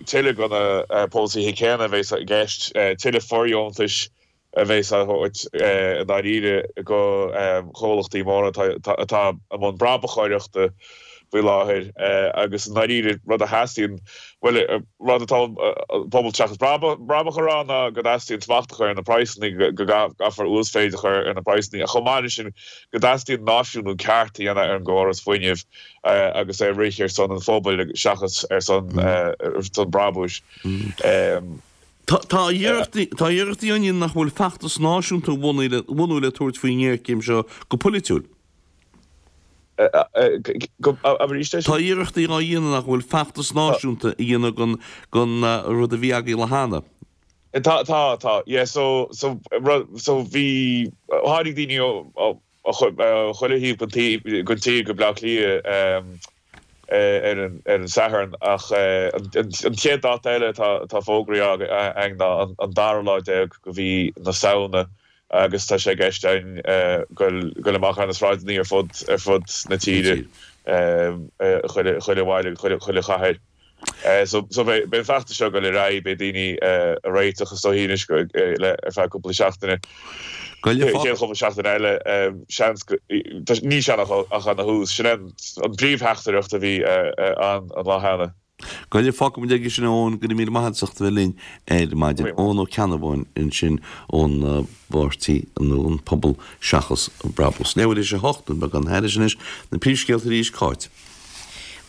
tuilleadh de na polasaithe céanna a bheas i gceist, tuilleadh fóirdheontais a bheas á thabhairt i ndáiríre do chomhlachtaí móra atá i mbun brabachóireachta faoi láthair agus i ndáiríre rud a theastaíonn, bhuel, rud atá Pobal Seachas Brabach a rá ná go dteastaíonn smacht a chur ar na praghsanna, go gcaithfear uasmhéid a chur ar na praghsanna ach chomh maith leis sin go dteastaíonn náisiúnú ceart a dhéanamh ar an gcóras fuinnimh agus é a rith ar son an phobail seachas ar son brabúis. Tá iarrachtaí á ndéanamh nach bhfuil feachtas náisiúnta a bhunú le tabhairt faoin ngéarchéim seo go polaitiúil. Tá iarrachtaí á dhéanamh nach bhfuil feachtas náisiúnta a dhéanamh den rud a bhí againn cheana. Tá, tá, tá. Yeah, so, so, so bhí, tháinig daoine ó, ó chuile thaobh den tír, den tír go Bleá Cliath ar an, ar an Satharn ach an, an chéad dáta eile atá, atá fógraithe againn ná an, an dara lá déag de mhí na Samhna agus tá sé i gceist againn goil, goil amach ar na sráideanna ar fud, ar fud na tíre, chuile, chuile bhaile, chuile, chuile chathair. So beidh an feachtas seo ag dul ar aghaidh, beidh daoine ag réiteach is dóigh anois ar feadh cúpla seachtaine. Chéad chúpla seachtaine eile, seans go, níl sé ach ina thús. Sin é an príomhtheachtaireacht a bhí ann an lá cheana. Go leor, fágfaidh muid aige sin a Eoin, go raibh míle maith agat as ucht a bheith linn ar maidin. Eoin Ó Ceannabháin ansin ón bpáirtí nó an Pobal Seachas Brabús. Leathuair théis 8, nó beagán thairis anois, na príomhscéalta arís, Cáit.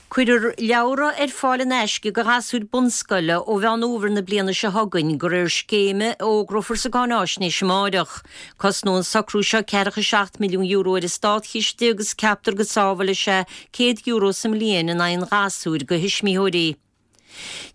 Cuirfear leabhra ar fáil in aisce do ghasúir bunscoile ó Mheán Fhómhair na bliana seo chugainn, de réir scéime a fhógrófar sa gcáináisnéis amáireach. Cosnóidh an socrú seo €47 milliún ar an státchiste agus ceaptar go sábhálfaidh sé €100 sa mbliain in aghaidh an ghasúir do thuismitheoirí.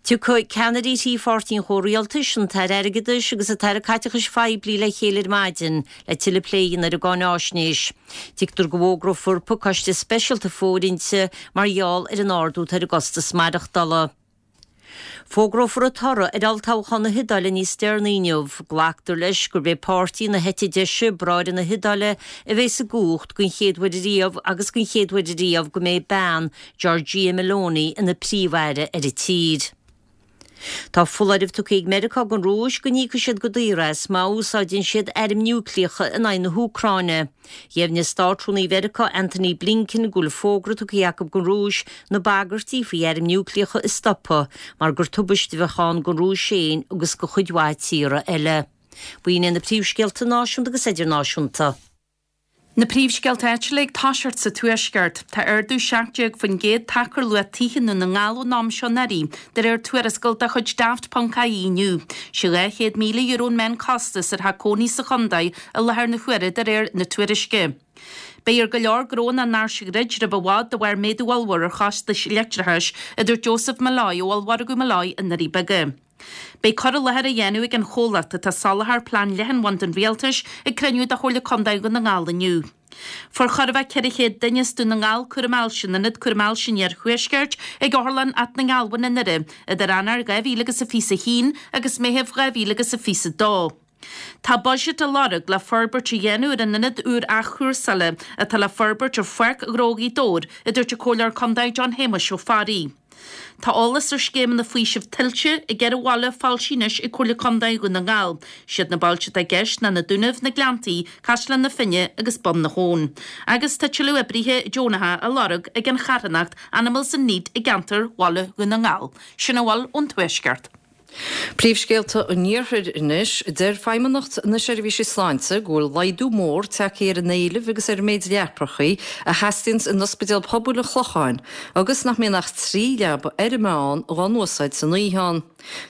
Tiocfaidh ceannairí thrí pháirtí an chomhrialtais, an tAire Airgeadais agus an tAire Caiteachais Phoiblí le chéile ar maidin le tuilleadh plé a dhéanamh ar an gcáináisnéis. Tuigtear go bhfógrófar pacáiste speisialta fóirithinte mar gheall ar an ardú atá ar an gcostas maireachtála. Fógrófar an toradh ar olltoghchán na hIodáile níos deireanaí inniu. Glactar leis gurb é páirtí na heite deise, Bráithre na hIodáile, a bheas i gcumhacht den chéad uair ariamh agus den chéad uair ariamh go mbeidh bean, Giorgia Meloni ina príomh-aire ar an tír. Tá foláireamh tugtha ag Meiriceá don Rúis go n-íocfaidh siad go daor as má úsáideann siad airm núicléacha in aghaidh na hÚcráine. Dheimhnigh Státrúnaí Mheiriceá Antony Blinken go bhfuil fógra tugtha acu don Rúis na bagairtí faoi airm núicléacha a stopadh mar gur tubaiste a bheadh ann don Rúis féin agus do chuid mhaith tíortha eile. B'in iad na príomhscéalta náisiúnta agus idirnáisiúnta. Na príomhscéalta áitiúla ag toiseacht sa Tuaisceart. Tá ardú 17% tagtha ar luach tithe i nDún na nGall ón am seo anuraidh, de réir tuarascáil de chuid Daft.ie inniu. Sé €200,000 an meánchostas ar theach cónaí sa chontae i láthair na huaire de réir na tuairisce. Beidh ar go leor gnóanna an National Grid roimh i bhfad de bharr méadú ollmhór ar chostais leictreachais, a dúirt Joseph Molloy ó Ollmhargadh Molloy i nDoirí Beaga. Beidh cur i láthair á dhéanamh ag an chomhlacht atá ag soláthar plean leathanbhanda an Rialtais ag cruinniú de Chomhairle Contae Dhún na nGall inniu. Fuair chóir a bheith 400 duine as Dún na nGall cúram ailse in Ionad Cúraim Ailse an Iarthuaiscirt ag Otharlann Áth na nGealbhan i nDoire idir Eanáir 2021 agus Meitheamh 2022. Tá buiséad á lorg le forbairt a dhéanamh ar an ionad úr athchúrsála atá le forbairt ar Pháirc Ghnó Ghaoth Dobhair, a dúirt an Comhairleoir Contae John Shéamuis Ó Fearraigh. Tá eolas ar scéimeanna faoisimh tuilte i gceithre bhaile foilsithe anois ag Comhairle Contae Dhún na nGall. Siad na bailte atá i gceist ná na Dúnaibh, na Gleanntaí, Caisleán na Finne agus Bun na hAbhann. Agus tá tuilleadh oibrithe deonacha á lorg ag an charthanacht Animals in Need i gceantar Bhaile Dhún na nGall. Sin a bhfuil ón Tuaisceart. Príomhscéalta an Iarthair anois. Deir Feidhmeannacht na Seirbhíse Sláinte go bhfuil laghdú mór tagtha ar an éileamh agus ar an méid leapacha a theastaíonns in Ospidéal Pobail an Chlocháin agus nach mbíonn ach 3 leaba ar an meán dhá n-úsáid san oíche ann.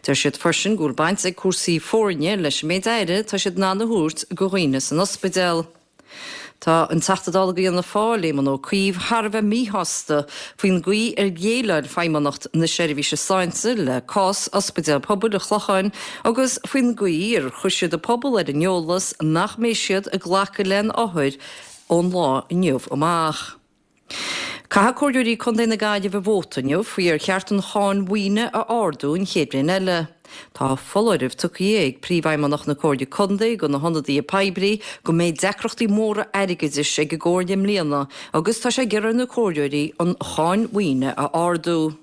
Deir siad freisin go bhfuil baint ag cúrsaí foirne leis an méid aire atá siad in ann a thabhairt go dhaoine san ospidéal. Tá an Teachta Dála do Fhianna Fáil, Éamon Ó Cuív, thar a bheith míshásta faoin gcaoi ar dhéileáil Feidhmeannacht na Seirbhíse Sláinte le cás Ospidéal Pobail an Chlocháin agus faoin gcaoi ar chuir siad an pobal ar an eolas nach mbeidh siad ag glacadh le haon othair ón lá inniu amach. Caithfidh Comhairleoirí Contae na Gaillimhe vóta inniu faoi ar cheart an cháin mhaoine a ardú an chéad bhliain eile. Tá foláireamh tugtha ag Príomhfheidhmeannach na Comhairle Contae do na hionadaithe poiblí go mbeidh deacrachtaí móra airgeadais ag an gComhairle i mbliana agus tá sé ag iarraidh ar na Comhairleoirí an cháin mhaoine a ardú.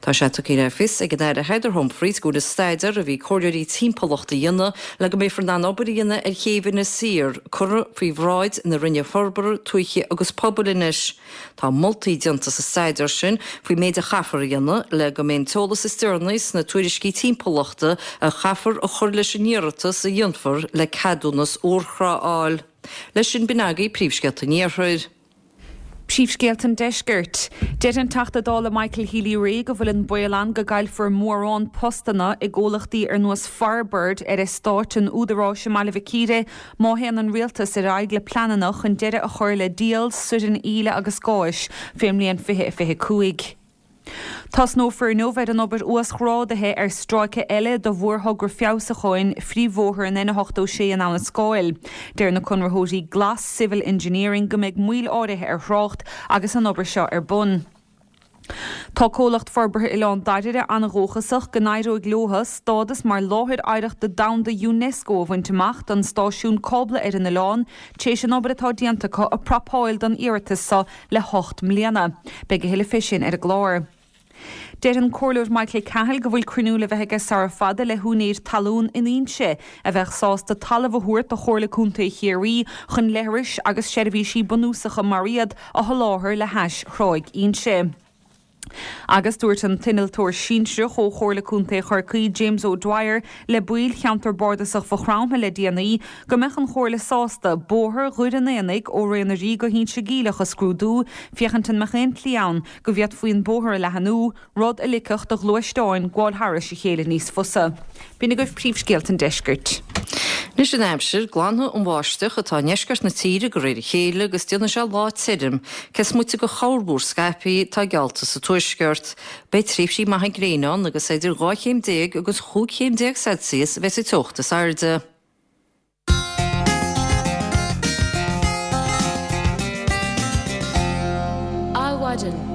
Tá sé tugtha le fios ag an Aire Heather Humphreys go bhfuil an staidéar a bhí comhairleoirí timpeallachta a dhéanamh le go mbeifear in ann obair a dhéanamh ar chéibh Inis Oírr curtha faoi bhráid na Roinne Forbartha Tuaithe agus Pobail anois. Tá moltaí déanta sa staidéar sin faoin méid a chaithfear a dhéanamh le go mbeidh an t-eolas is deireanaí sna tuairiscí timpeallachta a chaithfear a chur leis an iarratas a dhéanfar le ceadúnas urthrá a fháil. Leis sin b'in agaibh príomhscéalta an Iarthair. Príomhscéalta an Deiscirt. Deir an Teachta Dála Michael Healy-Rae go bhfuil an baol ann go gcaillfear mórán postanna i gcomhlachtaí ar nós Firebird ar eastáit an Údaráis i mBaile Mhic Íre má théann an Rialtas ar aghaidh le pleananna chun deireadh a chur le díol soirn íle agus gáis fén mbliain 2025. Tosnófar inniu ar an obair uasghrádaithe ar stráice eile de mhórthogra feabhsúcháin phríomhbhóthar an N86 in Abhainn an Scáil. Deir na conraitheoirí Glas Civil Engineering go mbeidh moill áirithe ar thrácht agus an obair seo ar bun. Tá Comhlacht Forbartha Oileán Dairbhre an-dhóchasach go n-éireoidh leo stádas mar Láthair Oidhreachta Domhanda Unesco a bhaint amach don stáisiún cábla ar an oileán, tar éis an obair atá déanta acu ag prapáil don iarratas seo le hocht mbliana. Beidh a thuilleadh fé sin ar an gclár. Deir an Comhairleoir Michael Cahill go bhfuil cruinniú le bheith aige sara fada le húinéir talún in Inse a bheadh sásta talamh a thabhairt do Chomhairle Contae Chiarraí chun leithris agus seirbhísí bunúsacha mar iad a sholáthar le hais Thráigh Inse. Agus dúirt an t-innealtóir sinsearach ó Chomhairle Contae Chorcaí, James O'Dwyer, le baill cheantar bardasach Mhaigh Chromtha le déanaí go mbeadh an Chomhairle sásta bóthar Dhoire an Aonaigh ó Ré na Rí go hInse Geimhleach a scrúdú féachaint an mbeadh aon tslí ann go bhféadfaí an bóthar a leathanú, rud a ligfeadh do ghluaisteáin gabháil thairis a chéile níos fusa. B'in agaibh príomhscéalta an deiscirt. Anois an aimsir, glanfaidh an bháisteach atá i ndeisceart na tíre de réir a chéile agus déanfaidh sé lá tirim, cé is moite de chorrmhúr scaipthe atá geallta sa tuaisceart. Beidh tréimhsí maithe gréine ann agus idir 12 chéim agus 15 chéim Celsius a bheidh sa teocht is airde. Adhmhaidin.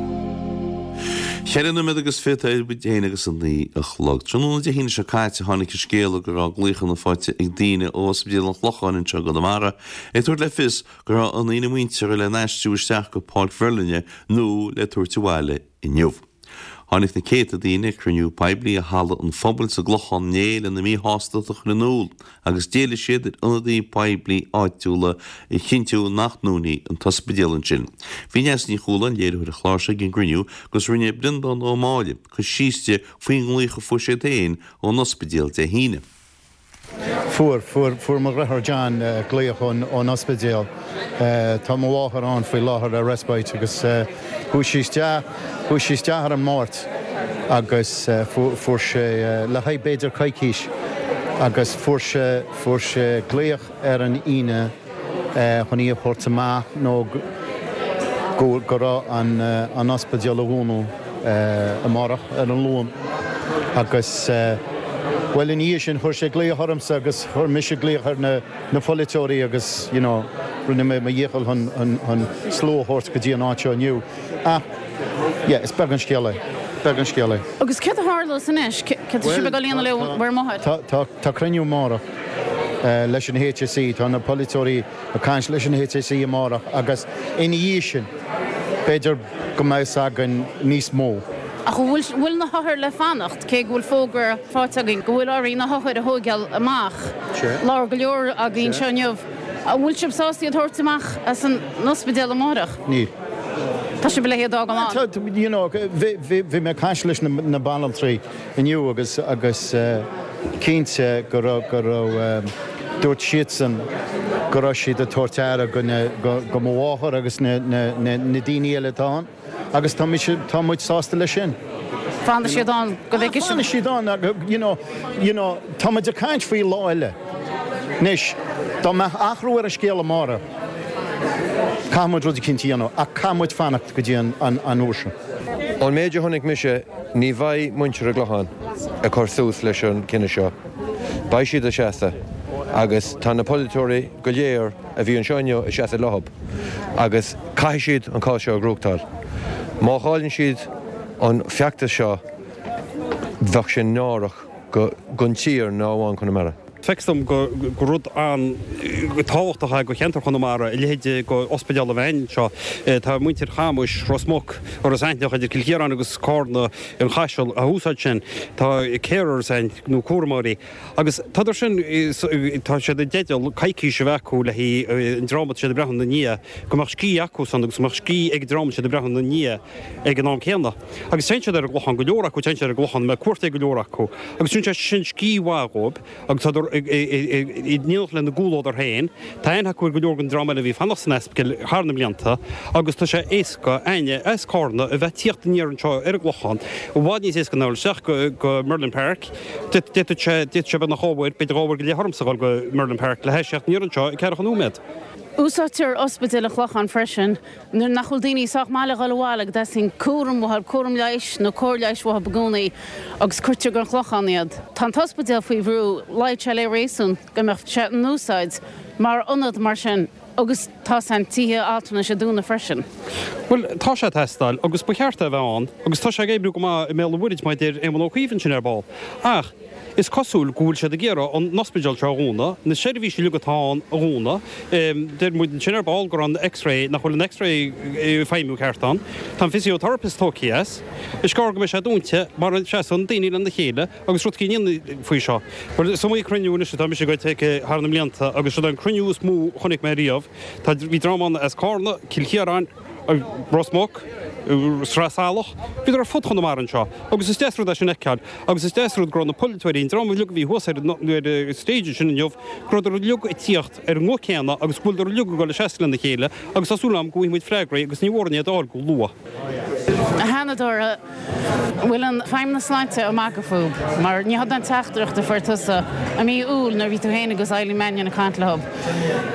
Cheithre nóiméad agus fichead idir a haon agus a naoi a chlog. Tráthnóna Dé hAoine seo caite tháinig an scéala go raibh glaochanna faighte ag daoine ó Ospidéal an Chlocháin anseo i gConamara ag tabhairt le fios go raibh a ndaoine muinteartha le n-aistriú isteach go Páirc Mherlin nó le tabhairt abhaile inniu. Tháinig na céadta daoine ag cruinniú poiblí i Halla an Phobail sa gClochán inné lena míshástacht a chur in iúl agus d'éiligh siad ar ionadaithe poiblí áitiúla a chinntiú nach ndúnfaí an t-ospidéal ansin. Bhí Neasa Ní Chualáin, léiritheoir an chláir seo ag an gcruinniú agus rinne Breandán Ó Máille cur síos di faoin nglaoch a fuair siad féin ón ospidéal Dé hAoine. Fuair, fuair, fuair mo dheartháir John glaoch ón, ón ospidéal. Tá mo mháthair ann faoi láthair ar respite agus chuaigh sí isteach, chuaigh sí isteach ar an Máirt agus fuair sé, le haghaidh b'fhéidir coicís agus fuair sé, fuair sé glaoch ar an Aoine chun í a thabhairt amach nó go, go raibh an, an ospidéal a dhúnadh amárach ar an Luan agus bhuel ina dhiaidh sin chuir sé glaoch ormsa agus chuir mise glaoch ar na, na polaiteoirí agus you know rinne mé mo dhícheall chun, chun, chun slua a thabhairt go dtí an áit seo inniu ach yeah is beag an scéal é, beag an scéal é. Agus céard a tharlós anois? Céard tá sibh ag dul a dhéanamh le bhur máthair? Tá, tá, tá cruinniú amárach leis an HSE, tá na polaiteoirí ag caint leis an HSE amárach agus ina dhiaidh sin b'fhéidir go mbeidh fhios againn níos mó. Ach an bhfuil, bhfuil na hothair le fanacht, cé go bhfuil fógra faighte againn go bhfuil orainn na hothair a thóigeáil amach? Labhair go leor againn anseo inniu. An bhfuil sibh sásta iad a thabhairt amach as an ospidéal amárach? Níl. Tá sibh le hiad a fhágáil ann? You know, bhí, bhí, bhí mé ag caint leis na, na banaltraí inniu agus, agus cinnte go raibh, go raibh, dúirt siadsan go raibh siad ag tabhairt aire go na, go, go mo mháthair agus na, na, na, na daoine eile atá ann agus tá mise, tá muid sásta leis sin. Fanfaidh siad ann go bhfeicfidh sibh. Fanfaidh siad ann, you know, you know, tá muid ag caint faoi lá eile. Anois, dá mbeadh athrú ar an scéal amárach, caithfidh muid rud eicínt a dhéanamh ach caithfidh muid fanacht go dtí an, an, an uair sin. Ón méid a chonaic mise, ní bheidh muintir an Chlocháin ag cur suas leis an cinneadh seo. Beidh siad ag seasamh agus tá na polaiteoirí go léir a bhí anseo inniu ag seasamh leo agus caithfidh siad an cás seo a ghnóthachtáil. Má chailleann siad an feachtas seo bheadh sé náireach don tír ná amháin Conamara. Feictear dom gur rud an-tábhachtach é do cheantar Chonamara a leithéid de ospidéal a bheith anseo. Tá muintir Chamuis, Ros Muc, Iorras Aithneach, idir Cill Chiaráin agus Cárna, an Chaiseal, á úsáid sin. Tá carers ann, nó cúramóirí, agus tádar sin, tá siad i dteideal coicís a bheith acu le haghaidh an dream atá siad ag breathnú ina ndiaidh, go mbeadh scíth acusan agus go mbeadh scíth ag an dream atá siad ag breathnú ina ndiaidh ag an am céanna. Agus téann siad ar an gClochán, go leor acu, téann siad ar an gClochán, mbeidh cuairt ag go leor acu, agus tugann sé sin scíth mhaith dhóibh agus tádar in éineacht lena gcomhluadar féin. Tá aithne acu ar go leor den dream eile a bhí ag fanacht san ospidéal thar na blianta agus tá sé éasca éinne as Cárna a bheith ag tíocht aniar anseo ar an gClochán, i bhfad níos éasca ná dul isteach go Merlin Park. D'fhéadfadh sé, d'fhéadfadh sé beagnach dhá uair, b'fhéidir dhá uair go leith ormsa a dhul go Merlin Park le hais theacht aniar anseo i ceathracha nóiméad. Úsáidtear Ospidéal an Chlocháin freisin nuair nach bhfuil daoine sách maith le dhul abhaile go dteastaíonn cúram uathu, cúram leighis nó cóir leighis uathu i gcónaí agus cuirtear go an Clochán iad. Tá an t-ospidéal faoi bhrú, luíonn sé le réasún go mbeadh sé in úsáid mar ionad mar sin agus tá an tithe altranais ag dúnadh freisin. Bhuel, tá sé ag teastáil agus ba cheart é a bheith ann agus tá sé ag oibriú go maith i mBéal an Mhuirthead mar a deir Éamon Ó Cuív ansin ar ball. Ach is cosúil go bhfuil siad ag iarraidh an ospidéal seo a dhúnadh, na seirbhísí uilig atá ann a dhúnadh. Deir muid ansin ar ball go raibh an X-ray, nach bhfuil an X-ray ag feidhmiú ceart ann. Tá an physiotherapist tógtha as. Is gearr go mbeidh sé dúnta mara seasann daoine lena chéile agus rud éigin a dhéanamh faoi seo. Bhuel, is iomaí cruinniú anois atá mise ag dul thar na mblianta agus seo an cruinniú is mó a chonaic mé riamh. Tá, bhí dream ann as Cárna, Cill Chiaráin, Ros Muc, Sraith Salach, bhíodar ar fud Chonamara anseo agus is deas rud é sin a fheiceáil agus is deas rud go raibh na polaiteoirí, an dream uilig a bhí thuas ar an stage ansin inniu, go rabhadar uilig ag tíocht ar an nguth céanna agus go bhfuileadar uilig ag dul ag seasamh lena chéile agus tá súil agam go bhfaighidh muid freagraí agus ní mhór iad a fháil go luath. A Sheanadóir, an bhfuil an Feidhmeannas Sláinte ag magadh fúib? Mar ní hionann an teachtaireacht a fuair tusa i mí Iúil nuair a bhí tú féin agus Eileen Mannion ag caint leo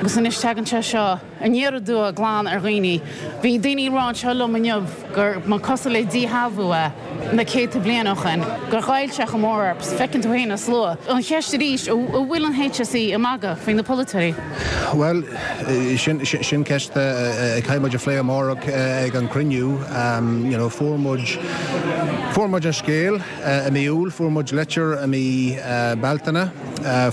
agus anois tagann sé seo aniar aduaidh glan ar dhaoine. Bhí daoine ag rá anseo liom inniu gur mba cosúil le díshealbhú é na céadta bliain ó shin, gur ghoill sé chomh mór orthu. Feiceann tú féin an slua. An cheist arís, an bhfuil an HSE ag magadh faoi na polaiteoirí? Bhuel, sin sin ceist a chaithfidh muid a phlé amárach ag an chruinniú. You know, fuair muid fuair muid an scéal i mí Iúil, fuair muid litir i mí Bealtaine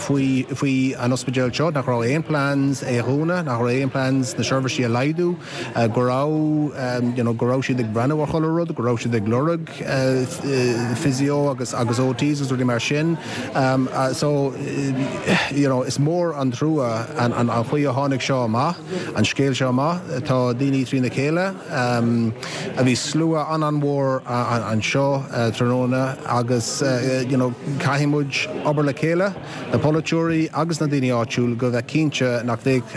faoi faoi an ospidéal seo, nach raibh aon plans é a dhúnadh, nach raibh aon plans na seirbhísí a laghdú, go raibh you know go raibh siad ag breathnú ar chuile rud, go raibh siad ag lorg physio agus agus OTs agus rudaí mar sin. So you know is mór an trua an an chaoi a tháinig seo amach, an scéal seo amach. Tá daoine trína chéile. Bhí slua an-an-mhór anseo tráthnóna agus you know caithfidh muid obair le chéile, na polaiteoirí agus na daoine áitiúil go bheith cinnte nach bheidh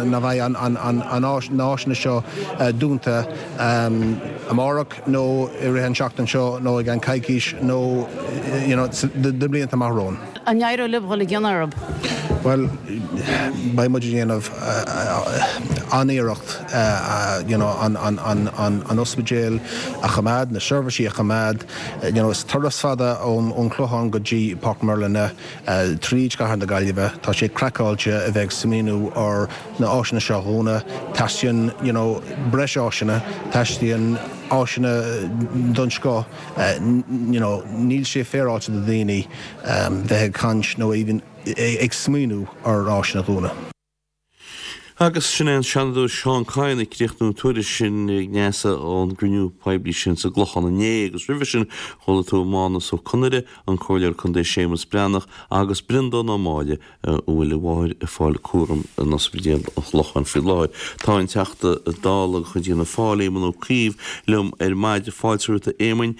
nach bheidh an an na háiseanna seo dúnta amárach nó i rith an tseachtain seo nó i gceann coicís nó you know na blianta amach romhainn. An éireoidh libh dhul i gcion orthu? Bhuel, beidh muid ag déanamh an-iarracht you know an an an an an ospidéal a choimeád, na seirbhísí a choimeád. You know, is turas fada ón ón Chlochán go dtí Páirc Merlin tríd Cathair na Gaillimhe. Tá sé craiceáilte a bheith ag smaoineamh ar na áiseanna seo a dhúnadh. Teastaíonn you know breis áiseanna, teastaíonn áiseanna den scoth. You know, níl sé féaráilte do daoine bheith ag caint nó even ag smaoineamh ar áiseanna a dhúnadh. Agus sin é an Seanadóir Seán Kyne ag críochnú an tuairisc sin a Neasa ón gcruinniú poiblí sin sa gClochán inné agus roimhe sin chuala tú Mánus Ó Conaire, an Comhairleoir Contae Séamus Breathnach agus Breandán Ó Máille a bhfuil a mháthair ag fáil cúram in Ospidéal an Chlocháin faoi láthair. Tá an Teachta Dála de chuid Fhianna Fáil, Éamon Ó Cuív, liom ar maidin. Fáilte romhat a Éamoin.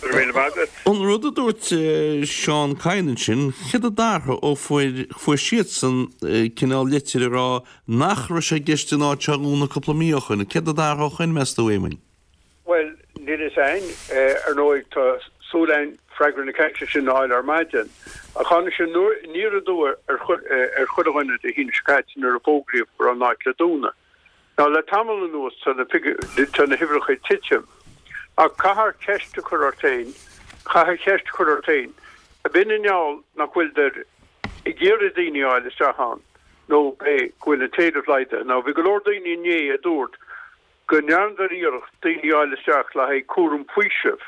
Go raibh míle maith agat. An rud a dúirt Seán Kyne ansin, céard a d'athraigh ó fuair fuair siadsan cineál litir ag rá nach raibh sé i gceist an áit seo a dhúnadh cúpla mí ó shoin. Céard a d'athraigh ó shoin, meas tú, a Éamoin? Bhuel, níl fhios a'inn. Ar ndóigh, tá súil a'inn freagra na ceiste sin a fháil ar maidin. Ach tháinig sé aniar aduaidh ar ar chuile dhuine Dé hAoine seo caite nuair a fógraíodh go raibh an áit le dúnadh. Now, le tamall anuas tá na tá na huimhreacha ag titim. Ach caithfear ceist a chur ort féin, caithfear ceist a chur ort féin, ab in i ngeall nach bhfuileadar ag iarraidh daoine a fháil isteach ann nó b'é go bhfuil an t-éileamh laghdaithe. Now, bhí go leor daoine inné a dúirt go ndearnadar iarracht daoine a fháil isteach le haghaidh cúram faoisimh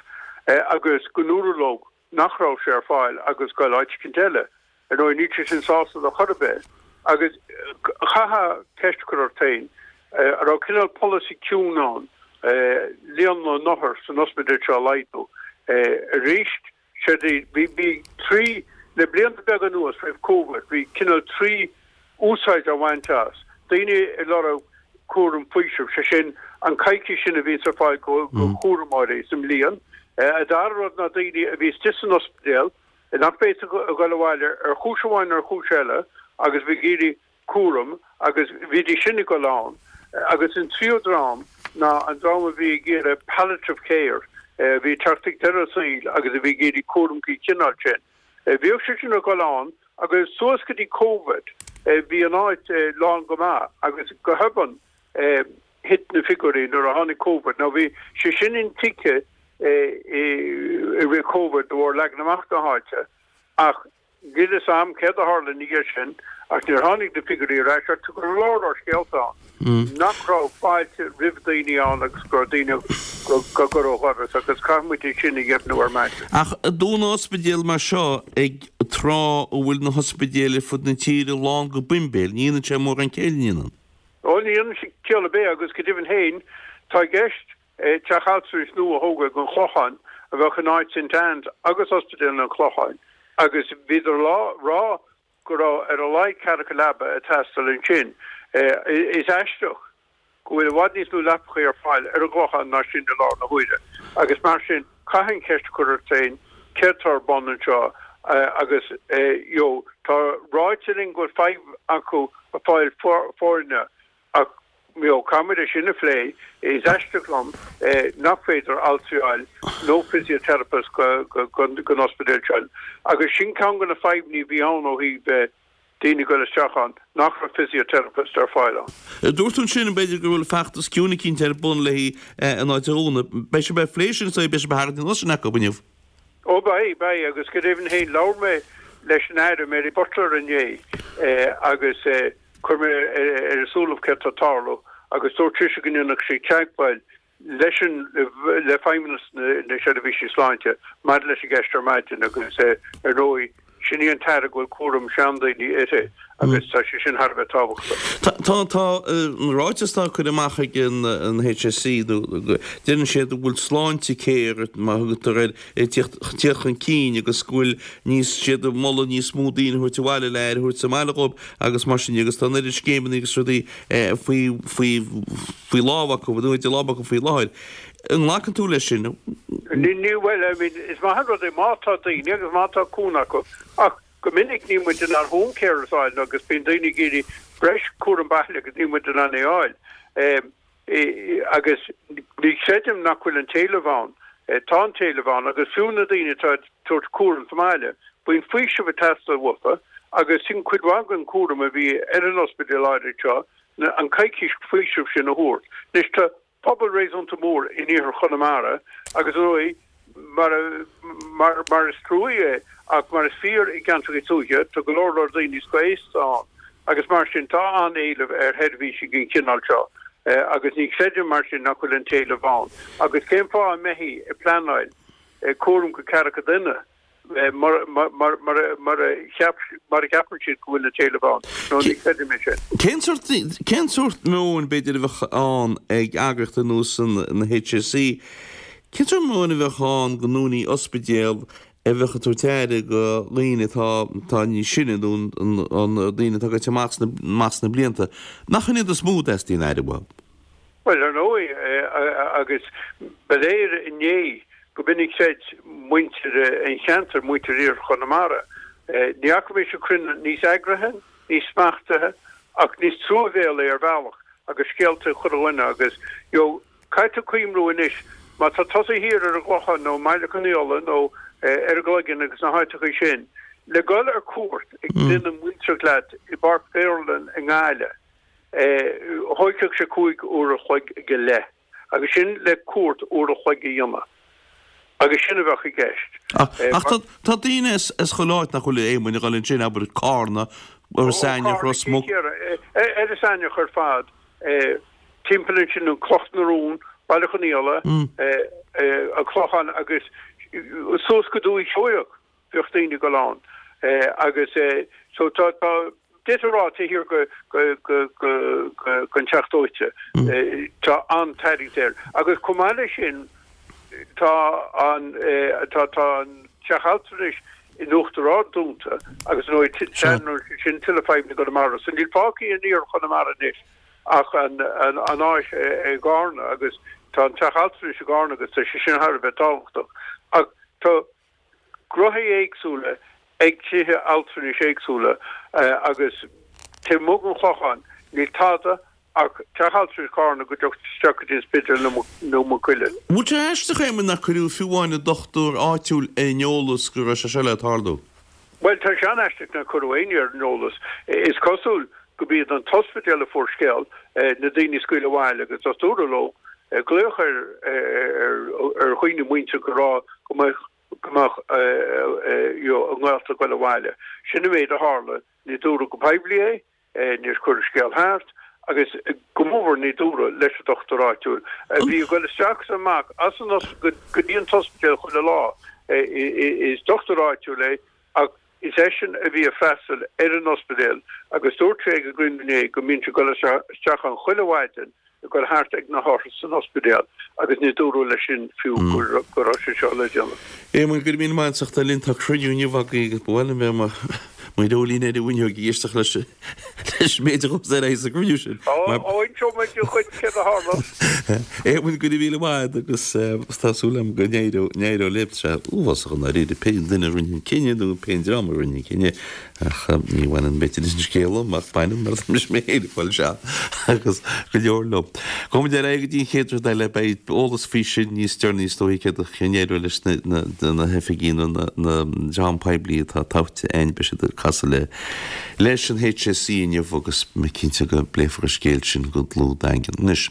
agus go ndúradh leo nach raibh sé ar fáil agus goil áit eicínt eile. Ar ndóigh, níl sé sin sásúil ar chor ar bith agus chaithfeá ceist a chur ort féin, an raibh cineál polasaí ciúin ann líon na n-othar san ospidéal seo a laghdú arís? Séard é, bhí, bhí trí, le blianta beaga anuas, roimh Covid, bhí cineál trí úsáid á bhaint as. Daoine ag lorg cúram faoisimh, sé sin, an coicís sin a bhíonns ar fáil go, go chúramóirí sa mbliain. An dara rud ná daoine a bhí istigh san ospidéal, nach bhféadfadh a dhul abhaile ar chúis amháin nó ar chúis eile agus bhí ag iarraidh cúram agus bhídís sin ag dul ann. Agus an tríú dream ná an dream a bhí ag iarraidh palliative care, a bhí ag teacht ag deireadh a saoil agus a bhí ag iarraidh cúram den chineál sin. Bhíodh siad sin ag dul ann agus suas go dtí Covid. Bhí an áit lán go maith agus go hobann thit na figiúirí nuair a tháinig Covid. Now bhí sé sin intuigthe i rith Covid de bharr leagan amach na háite ach Níl fhios a'm céard a tharla ina dhiaidh sin ach níor tháinig na figiúirí ar ais ach tá go leor leor scéalta ann nach raibh fáilte roimh daoine ann agus go raibh daoine á gcur ó dhoras agus caithfidh muid é sin a dheimhniú ar maidin. Ach dúnadh ospidéal mar seo ag tráth a bhfuil na hospidéil ar fud na tíre lán go boimbéil, ní dhéanann sé mórán céille, an ndéanann? Ó ní dhéanann sé ciall ar bith agus go deimhin féin tá i gceist Teach altranais nua a thógáil ag an Chlochán a bheadh in áit St Anne's agus Ospidéal an Chlocháin agus bhíodar á rá go raibh ar a laghad ceathracha leaba ag teastáil ansin. Is aisteach go bhfuil i bhfad níos lú leapacha ar fáil ar an gClochán ná sin i láthair na huaire agus mar sin caithfidh an cheist a chur ort féin céard atá ar bun anseo agus you know tá ráite linn go bhfuil fadhb acu ag fáil foirne Ach, you know, caithfidh muid é sin a phlé. Is aisteach liom nach féidir altraí a fháil nó physiotherapist don ospidéal seo. Agus sin ceann de na fadhbanna a bhí ann ó thaobh daoine ag dul isteach ann, nach raibh physiotherapist ar fáil ann. Dúirt tú ansin, b'fhéidir go bhfuil feachtas ciúin eicínt ar bun léi an áit a dhúnadh. Beidh sibh ag plé sin, so beidh sibh ag tarraingt anuas sin acu inniu. Ó beidh, beidh, agus go deimhin féin labhair mé leis an Aire Mary Butler inné agus Chuir mé ar a súilibh céard tá ag tarlú agus dúirt sise go ndéanfadh sí teagmháil leis an le Feidhmeannas na Seirbhísí Sláinte maidir leis an gceist ar maidin agus ar ndóigh sin í an tAire go bhfuil cúram seandaoine uirthi agus tá sé sin thar a bheith tábhachtach. Tá tá an ráiteas atá curtha amach ag an HSE nó deireann siad go bhfuil Sláintecare mar a thugtar air ag tíocht chun cinn agus go bhfuil níos, siad ag moladh níos mó daoine a thabhairt abhaile le aire a thabhairt sa mbaile dhóibh agus mar sin de agus tá an oiread scéimeanna agus rudaí faoi, faoi, faoi lámh acu, nó idir lámha acu faoi láthair. An nglacann tú leis sin? Ní, ní, bhuel, I mean, is maith an rud é má tá daoine agus má tá cúnamh acu ach go minic níl muid in ann home carers a fháil agus bíonn daoine ag iarraidh breis cúram baile agus níl muid in ann é a fháil. Agus ní chreidim nach bhfuil an t-éileamh ann. Tá an t-éileamh ann agus fiú na daoine atá ag tabhairt cúram sa mbaile, bíonn faoiseamh ag teastáil uathu agus sin cuid mhaith den chúram a bhí ar an ospidéal áirid seo, an coicís faoisimh sin a thabhairt. Anois tá pobal réasúnta mór in iarthar Chonamara agus ar ndóigh, Mar mar is trua é, ach mar is fíor i gceantracha tuaithe, tá go leor leor daoine scothaosta ann agus mar sin tá an-éileamh ar sheirbhísí den chineál seo agus ní chreidim mar sin nach bhfuil an t-éileamh ann. Agus cén fáth a mbeifí ag pleanáil cúram go ceathracha duine mura cheapann siad go bhfuil an t-éileamh ann? No, ní chreidim é sin. Cén sórt, cén sórt meoin b'fhéidir a bheadh ann ag eagraíocht ar nós an HSE? Cén sórt meoin a bheadh ann go ndúnfaí ospidéal a bheadh ag tabhairt aire go dhaoine atá atá níos sine nó an daoine atá gaibhte amach sna amach sna blianta? Nach in iad is mó a dteastaíonn aire uathu? Bhuel, ar ndóigh, agus ba léir inné go b'in a chreid muintir an cheantair, muintir Iarthar Chonamara. Ní fhaca mise cruinniú níos eagraithe, níos smachtaithe ach níos truamhéalaí ar bhealach agus scéalta ag chuile dhuine agus, you know, Caithfidh tú cuimhniú anois, má tá tusa thiar ar an gClochán nó i mBaile Conaola nó ar an gCloigeann agus na háiteacha sin, le dhul ar cuairt ag duine muinteartha leat i bPáirc Mhaoláin i nGaillimh, thóigfeadh sé 5 uair a chloig go leith. Agus sin le cuairt uair a chloig a dhéanamh. Agus sin a bheadh i gceist. Ach tá daoine as chuile áit nach bhfuil a Éamoinn ag dul ansin, abair Carna, Iorras Aithneach, Ros Muc. Iorras Aithneach ar fad. Timpeall ansin, an Cloch na Rún, Baile Chonaola, an Clochán agus suas go Dúiche Sheoigheach bhíodh daoine ag dul ann agus so tá, tá, d'fhéadfá a rá taobh thiar go, go, go, go, go, gon Teach Dóite tá an-tarraingt air agus chomh maith leis sin tá an, tá, tá an Teach Altranais in Uachtar Ard dúnta agus ar ndóigh sin tuilleadh fadhbanna i gConamara so níl fágtha in iarthar Chonamara anois ach an áis i gCarna agus tá an teach altranais i gCarna agus tá sé sin thar a bheith tábhachtach. Ach tá gruthaí éagsúla ag tithe altranais éagsúla agus taobh amuigh den Chlochán níl tada ach teach altranais Charna go dtiocfaidh isteach go dtí an Spidéal nó Maigh Cuilinn. Bhfuil sé aisteach, Éamonn, nár cuireadh fiú amháin an dochtúir áitiúil ar an eolas go raibh sé seo le tarlú? Bhuel, tá sé an-aisteach nár cuireadh éinne ar an eolas. Is cosúil go b'iad an t-ospidéal a fuair scéal, na daoine a scaoileadh abhaile agus dúradh leo glaoch ar ar dhaoine muintir go rá go mbeadh go mbeadh a ngaolta ag goil abhaile. Sin an méid a tharla. Ní dúradh go poiblí é. Níor cuireadh scéal thart agus go mórmhór ní dúradh leis an dochtúir áitiúil, a bhí ag goil isteach is amach as an go dtí an t-ospidéal chuile lá. Is dochtúir áitiúil é ach is eisean a bhí ag freastal ar an ospidéal agus dúirt sé ag an gcruinniú inné go mbíonn sé ag goil isteach ann chuile mhaidin ag goil thart ag na hothair san ospidéal agus ní dúradh leis sin fiú go raibh sé seo le déanamh. Éamonn, go raibh míle maith agat as ucht a bheith linn. Tá cruinniú inniu agaibh agus ba mhaith liom bheith i mo dhreoilín ar an bhfuinneog ag éisteacht leis leis an méid a ghabhfas ar aghaidh sa gcruinniú sin. Ó, inseoidh mé duit céard a tharla. Éamonn, go raibh míle maith agat agus tá súil agam go n-éireoidh libh. Tá sé uafásach i ndáiríre pé duine a rinne an cinneadh nó pé dream a rinne an cinneadh. Ach ní bhaineann b'fhéidir leis an scéal liom, ach baineann mar tá mise mé féin ag fáil seal agus go leor liom. Gabhfaidh muid ar aghaidh go dtí an chéad rud eile, beidh eolas faoi sin níos deireanaí is dóichí céard a n-éireoidh leis na hoifigí nó na dream poiblí atá tofa againn, beidh siad ag casadh le leis an HSE inniu agus mé cinnte go bpléifear an scéal sin go dlúth daingean. Anois,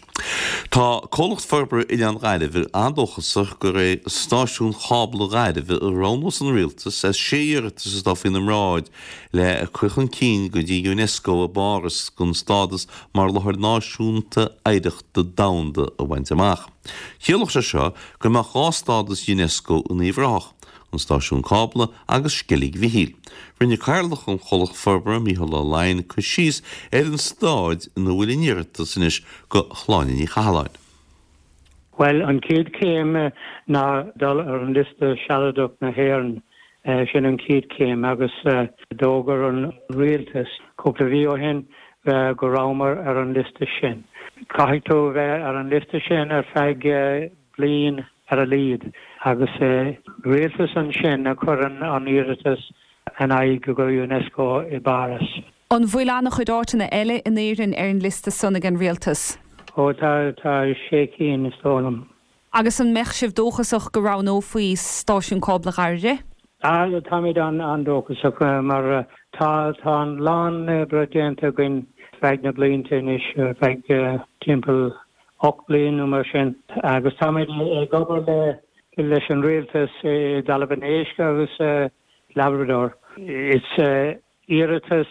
tá Comhlacht Forbartha Oileán Ghairbhe an-dóchasach gur é Stáisiún Chábla Ghairbhe a roghnós an Rialtas as sé iarratas atá faoina mbráid le cur chun cinn go dtí Unesco i bPáras don stádas mar Láthair Náisiúnta Oidhreachta Domhanda a bhaint amach. Chiallódh sé seo go mbeadh 2 stádas Unesco in Uíbh Ráthach, an Stáisiún Cábla agus Sceilg Mhichíl. Rinne Cathaoirleach an Chomhlacht Forbartha, Mícheál Ó Laighin, cur síos ar an staid ina bhfuil an iarratas anois do Shláine Ní Chathalláin. Bhuel, an chéad chéim ná dul ar an liosta sealadach na hÉireann. Sin an chéad chéim agus d'fhógair an rialtas cúpla mhí ó shin go rabhamar ar an liosta sin. Caithfidh tú a bheith ar an liosta sin ar feadh bliain ar a laghad agus rialtas ansin a chuireann an iarratas in aghaidh go Unesco i bPáras. An bhfuil an-chuid áiteanna eile in Éirinn ar an liosta san ag an rialtas? Ó tá, tá sé cinn is dóigh liom. Agus an mbeadh sibh dóchasach go roghnófaí Stáisiún Cábla Dhairbhre? Á, táimid an-dóchasach mar tá, tá a lán oibre déanta againn feadh na blianta anois, feadh timpeall 8 bliain nó mar sin agus táimid ag obair le leis an rialtas i dTalamh an Éisc agus Labrador. Is iarratas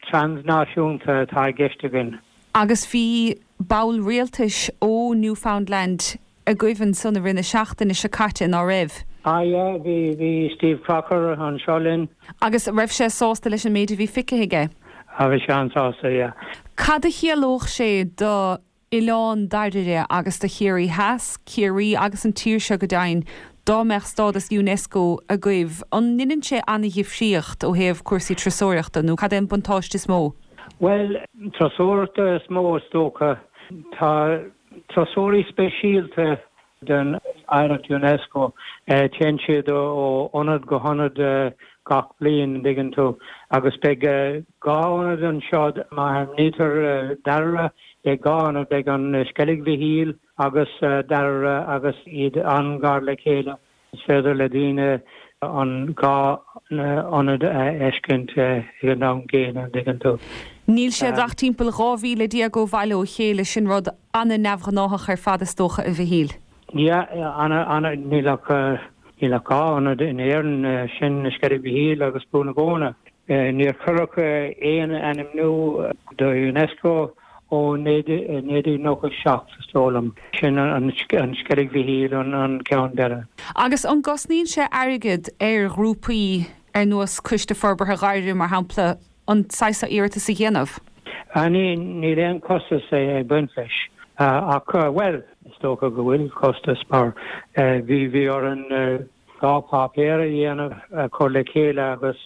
trasnáisiúnta atá i gceist againn. Agus bhí ball rialtais ó Newfoundland agaibh ansan i rith na seachtaine seo caite, ná raibh? Ah yeah, bhí, bhí Steve Crocker anseo linn. Agus raibh sé sásta leis an méid a bhí feicthe aige? Ah bhí sé an-sásta, yeah. Cad a chiallódh sé do Oileán Dairbhre agus do Chiarraí Theas, Ciarraí agus an tír seo go deimhin, dá mbeadh stádas Unesco agaibh, an ndeineann sé an-dhifríocht ó thaobh cúrsaí turasóireachta nó cad é an buntáiste is mó? Bhuel, turasóireachta is mó is dócha. Tá turasóirí speisialta den Oidhreacht Unesco. Téann siad ó ionad go hionad gach bliain, an dtuigeann tú, agus beidh dhá ionad anseo, má ainmnítear Dairbhre, beidh dhá ionad, beidh an Sceilg Mhichíl agus Dairbhre agus iad an-ghar le chéile. Is féidir le daoine an dhá ionad a fheiscint ag an am gcéanna, an dtuigeann tú. Níl siad ach timpeall 12 mhíle ó bhaile ó chéile, sin rud an-neamhghnáthach ar fad is dócha, a Mhichíl. Yeah, ana, ana, níl ach, níl ach dhá ionad in Éirinn, sin Sceilg Mhichíl agus Brú na Bóinne. Níor cuireadh aon ainmniú do Unesco ó 1997, is dóigh liom. Sin an Sceilg Mhichíl an ceann deiridh. Agus an gcosnaíonn sé airgead ar ghrúpaí ar nós Coiste Forbartha Dhairbhre, mar shampla, an saghas seo iarratas a dhéanamh? Níl aon chostas ag baint leis. Ach, bhuel, is dócha go bhfuil costas mar bhí, bhí orainn dhá pháipéar a dhéanamh, a chur le chéile agus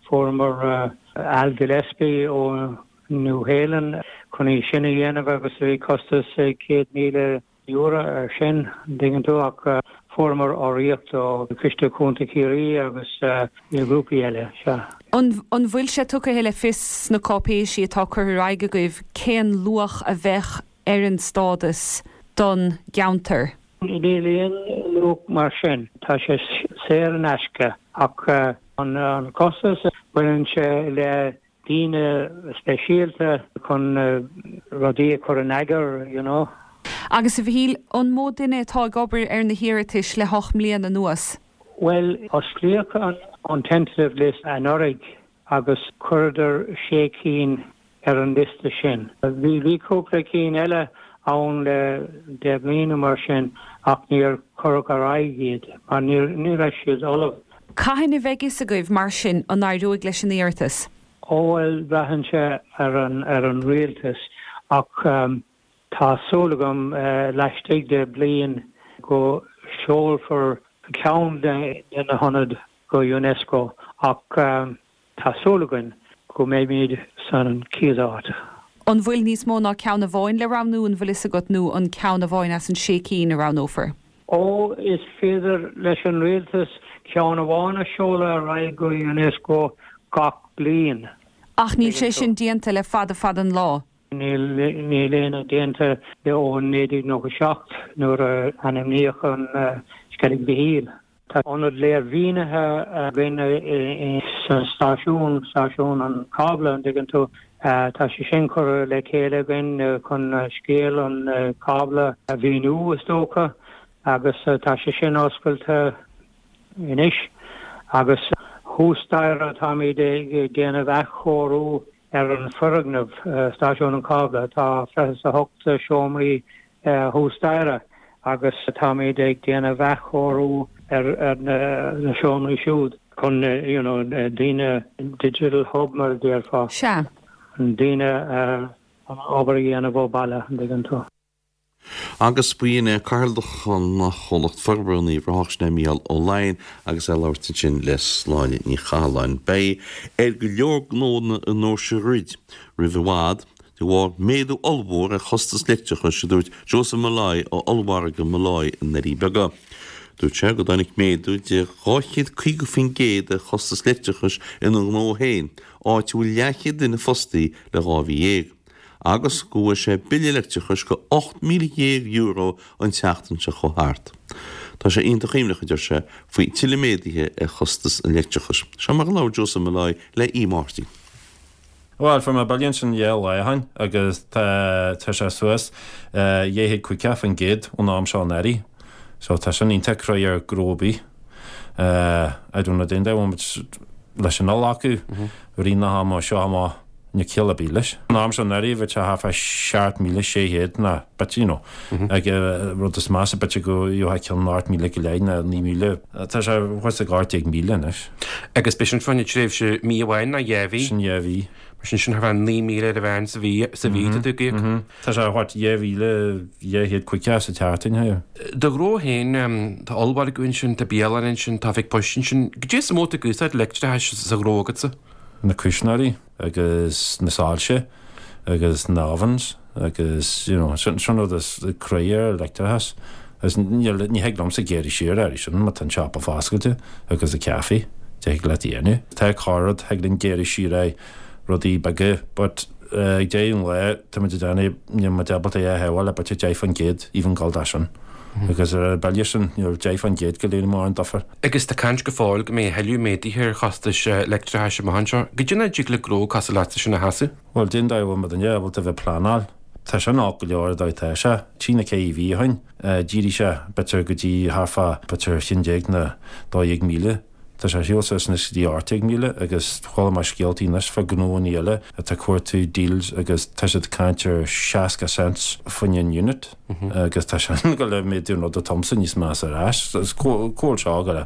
fuaireamar Al Gillespie ó Nua-Shéalainn chun í sin a dhéanamh agus bhí costas €100,000 ar sin, an dtuigeann tú, ach fuaireamar urraíocht ó Chiste Contae Chiarraí agus grúpaí eile, sea. An bhfuil sé tugtha le fios sna cáipéisí atá curtha ar aghaidh agaibh cén luach a bheadh ar an stádas don gceantar? Níl aon luach mar sin, tá sé saor in aisce ach. An costas, baineann sé le daoine speisialta chun rudaí a chur in eagar, you know. Agus a Mhichíl, an mó duine atá ag obair ar na hiarratais le hocht mbliana anuas? Bhuel, osclaíodh an tentative list anuraidh agus chuireadar sé cinn ar an liosta sin. Bhí cúpla cinn eile ann le 10 mbliana mar sin ach níor cuireadh ar aghaidh iad mar ní raibh siad ullamh. Cathain a bheidh fhios agaibh mar sin an éireoidh leis an iarratas? Ó bhuel, braitheann sé ar an ar an rialtas ach tá súil agam laistigh de bliain go seolfar ceann de na hionaid go Unesco ach Tá súil againn go mbeimid san chéad áit. An bhfuil níos mó ná ceann amháin le roghnú, an bhfuil fhios agat, nó an ceann amháin as an sé cinn a roghnófar? Ó, is féidir leis an rialtas ceann amháin a seoladh ar aghaidh go Unesco gach bliain. Ach níl sé sin déanta le fada fada an lá. Níl aon déanta le ó 1997 nuair a ainmníodh an Sceilg Mhichíl. Tá ionad léirmhínithe againn sa stáisiún, stáisiún an chábla, an dtuigeann tú. Tá sé sin curtha le chéile againn chun scéal an chábla a mhíniú, is dócha, agus tá sé sin oscailte anois. Agus thuas staighre táimid ag déanamh athchóiriú ar an foirgneamh, stáisiún an chábla. Tá 28 seomraí thuas staighre agus táimid ag déanamh athchóiriú ar na seomraí siúd chun you know daoine, digital hub mar a déarfá. Sea. Daoine an obair a dhéanamh ó bhaile, an dtuigeann tú. Agus b'in é Cathaoirleach an Chomhlacht Forbartha in Uíbh Ráthach, sin é Mícheál Ó Laighin agus é ag labhairt ansin le Sláine Ní Chathalláin. Beidh ar go leor gnónna i nDoirse dhruid roimh i bhfad de bharr méadú ollmhór ar chostas leictreachais, a dúirt Joseph Molloy ó ollmhargadh Molloy i nDoirí Beaga. Dúirt sé go dtáinig méadú de 250% ar chostas leictreachais ina ghnó féin, áit a bhfuil leathchéad duine fostaí le 12 mhí. Agus go bhfuair sé bille leictreachais go €18,000 an tseachtain seo chuaigh thart. Tá sé iontach imníoch, a deir sé, faoi tuilleadh méadaithe ar chostas an leictreachais. Seo mar a labhair Joseph Molloy le Aodh Marty. Bhuel, fuair mé bille ansin dhá lá ó shin agus tá tá sé suas 250% ón am seo anuraidh. So tá sin iontach cruaidh ar ghnó ar bith. I don't know, dén dá bhfuil muid leis an fhill acu, rith na hama seo amach níl ciall ar bith leis. An am seo anuraidh bhí sé thart fá 7,600 ná bit, you know, ag rud is measa b'fhéidir go gheofá ceann 8,000 go leith ná 9,000. Tá sé thuas ag 18,000 anois. Agus b'é sin fá choinne tréimhse mí amháin ná dhá mhí? Sin dhá mhí. Mar sin, sin thart fá 9,000 ar a mheán sa mhí, sa mhí atá tú ag íoc. Tá sé thart 2,250 sa tseachtain, hé. Do ghnó féin, tá ollmhargadh ansin, tá bialann ansin, tá oifig poist ansin. Goidé is mó atá ag úsáid leictreachais sa ghnó agatsa? Na cuisneoirí agus na soilse agus na ovens agus, you know, sin rud is cruaidh ar leictreachas. Agus níl, ní thig liomsa gearradh siar air sin má tá an siopa foscailte agus an caife, thig leat a dhéanamh. Tá corr-rud, thig linn gearradh siar ar rudaí beaga but ag deireadh an lae tá muid ag déanamh, níl muid ábalta é a shábháil le b'fhéidir 10% even gabháil dó sin. Agus ar an bille sin, níl 10% go léir mórán difear. Agus tá caint go fóill go mbeidh a thuilleadh méadaithe ar chostais leictreachais amach anseo. Goidé an dóigh a dtig le gnó cosúil leatsa sin a sheasamh? Bhuel, cén dóigh a bhfuil muidinne ábalta a bheith ag pleanáil. Tá sin olc go leor an dóigh atá sé. Trí nó ceithre mhí ó shin, d'éirigh sé b'fhéidir go dtí thart fá b'fhéidir 11 nó 12,000. Tá sé ar shiúl suas anois go dtí 18,000 agus chuala mé scéaltaí anois fá gnóanna eile atá ag cuartú deals agus tá siad ag caint ar 60 cents fá choinne an unit agus tá sé ag gabháil a méadú an rud atá agamsa níos measa ar ais. Cá bhfuil seo ag gabháil,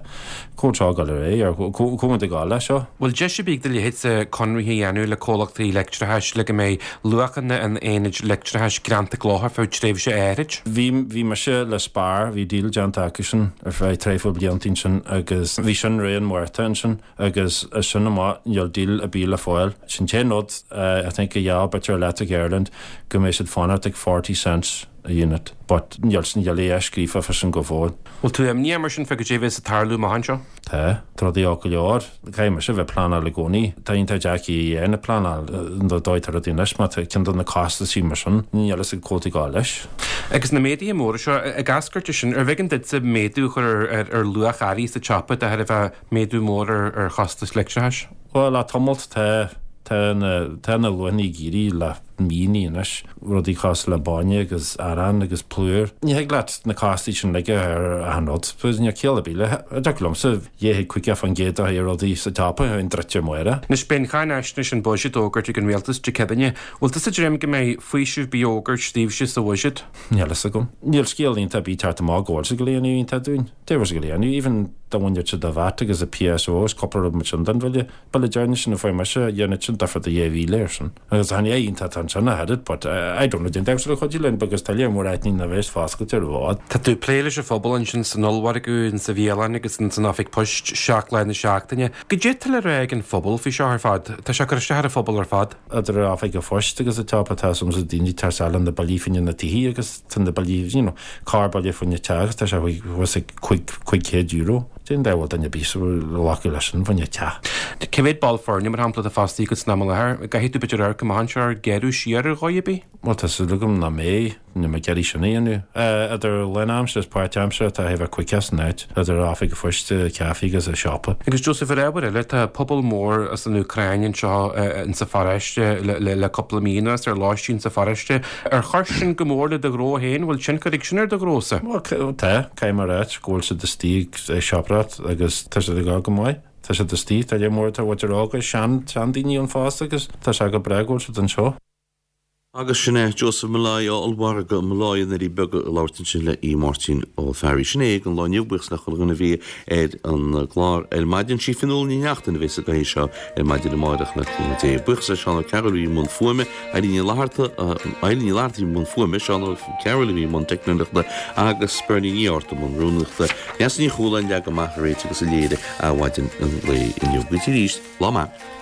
cá bhfuil seo ag gabháil ar aghaidh ar cá bhfuil muid ag gabháil leis seo? Bhfuil deis ar bith ag do leithéidse conraithe a dhéanamh le comhlachtaí leictreachais le go mbeidh luachanna an aonaid leictreachais greanta i gcloch ar feadh tréimhse áithrid. Bhí, bhí mise le Spar, bhí deal déanta acusan ar feadh tréimhse blianta ansin agus bhí sin roimh an Mhárta ansin agus as sin amach níl deal ar bith le fáil. Sin t-aon rud I think a gheall b'fhéidir Electric Ireland go mbeidh siad fanacht ag 40 cents. a unit but níl sin níl a dhath scríofa fá sin go fóill. Bhfuil tú imníoch mar sin fá goidé a bheas ag tarlú amach anseo? Tá. Tá rudaí olc go leor. Caithfidh mise a bheith ag pleanáil i gcónaí. Tá iontach deacair a dhéanamh pleanáil an dóigh atá rudaí anois má tá ceann de na costaisí mar sin, níl fhios ag comhaltaí gabháil leis. Agus na méaduithe móra seo, ag eascairt as sin, arbh éigean duitse méadú a chur ar luach earraí sa tsiopa de thairbhe méadú mór ar chostas leictreachais? Bhuel, le tamalt tá. Tá na, tá na luachanna ag éirí le míonna anois, rudaí cosúil le bainne agus arán agus plúr. Ní thig leat na costais sin uilig a chur ar achan rud. Níl ciall ar bith le, dtiocfadh liomsa 250% a chur ar rudaí sa tsiopa a bheinn druidte amárach. Anois beidh an cháinaisnéis an buiséad á fhógairt ag an Rialtas Dé Céadaoine. Bhfuil tusa ag dréim go mbeidh faoiseamh ar bith á fhógairt daoibhse sa bhuiséad? Níl fhios agam. Níl scéal iontach ar bith ag teacht amach go bhfuil siad ag dul a dhéanamh iontach dúinn. Dé bhfuil siad ag dul a dhéanamh, even dá bhainfeadh siad an VAT agus an PSO agus cúpla rud mar sin den bhille. Bille deireanach sin a fuair mise, dhéanfadh sin difear do 2,000 air sin. Agus chan é iontach atá ansin ach oiread, but I don't know, déan damhsa le cuidiú linn because tá léar mór áiteanna nach bheas foscailte ar i bhfad. Tá tú ag plé leis an phobal ansin san ollmhargadh, in sa bhialann agus in san oifig poist 7 lá na seachtaine. Goidé atá le rá ag an phobal faoi seo ar fad? Tá sé ag cur isteach ar an phobal ar fad. Idir an oifig an phoist agus an tsiopa tá some daoine ag teacht isteach le na billí fá choinne na tithe agus tá na billí, you know, corr-bhille fá choinne teach agus tá sé thuas ag €500. Cén dóigh a bhfuil duine ar bith ag glacadh leis sin fá choinne teach. Cé mhéad ball foirne, mar shampla, atá fostaithe agat san am i láthair? An gcaithfidh tú b'fhéidir amharc amach anseo ar ghéarú siar ar dhóigh ar bith? Bhuel, tá súil agam nach mbeidh. Níl mé ag iarraidh sin a dhéanamh. Idir lánaimseartha is páirtaimseartha tá thart fá 50 san áit, idir oifig an phoist, caife agus an siopa. Agus Joseph, ar ábhar eile, tá pobal mór as an Úcráin anseo insa pharóiste le cúpla mí anuas, ar lóistín sa pharóiste. Ar chuir sin go mór le do ghnó féin? Bhfuil tionchar ag sin ar do ghnósa? Bhuel, tá. Caithfidh mé a ráit go bhfuil siad istigh ag siopadóireacht agus tá siad ag dul go maith. Tá siad istigh, tá léar mór, tá muintir óga, sean, seandaoine ann fosta agus tá sé go breá go bhfuil siad anseo. Agus sin é Joseph Molloy ó Ollmhargadh Molloy i nDoirí Beaga ag labhairt ansin le Aodh Máirtín Ó Fearraigh. Sin é don lá inniu, buíochas le chuile dhuine a bhí ar an gclár ar maidin. Sí Fionnuala Ní Neachtain a bheas sa gcathaoir seo ar maidin amárach le cúnamh Dé. Buíochas le Seán Ó Cearúil a bhí i mbun fuaime, Eilín Ní Fhlatharta, Eilín Ní Fhlatharta a bhí i mbun fuaime, Seán Ó Cearúil a bhí i mbun teicneolaíochta agus Bernie Ní Fhátharta i mbun rúnaíochta. Neasa Ní Chualáin a leag amach, a réitigh agus a léirigh Adhmhaidin an lae inniu. Go dtí arís, lá maith.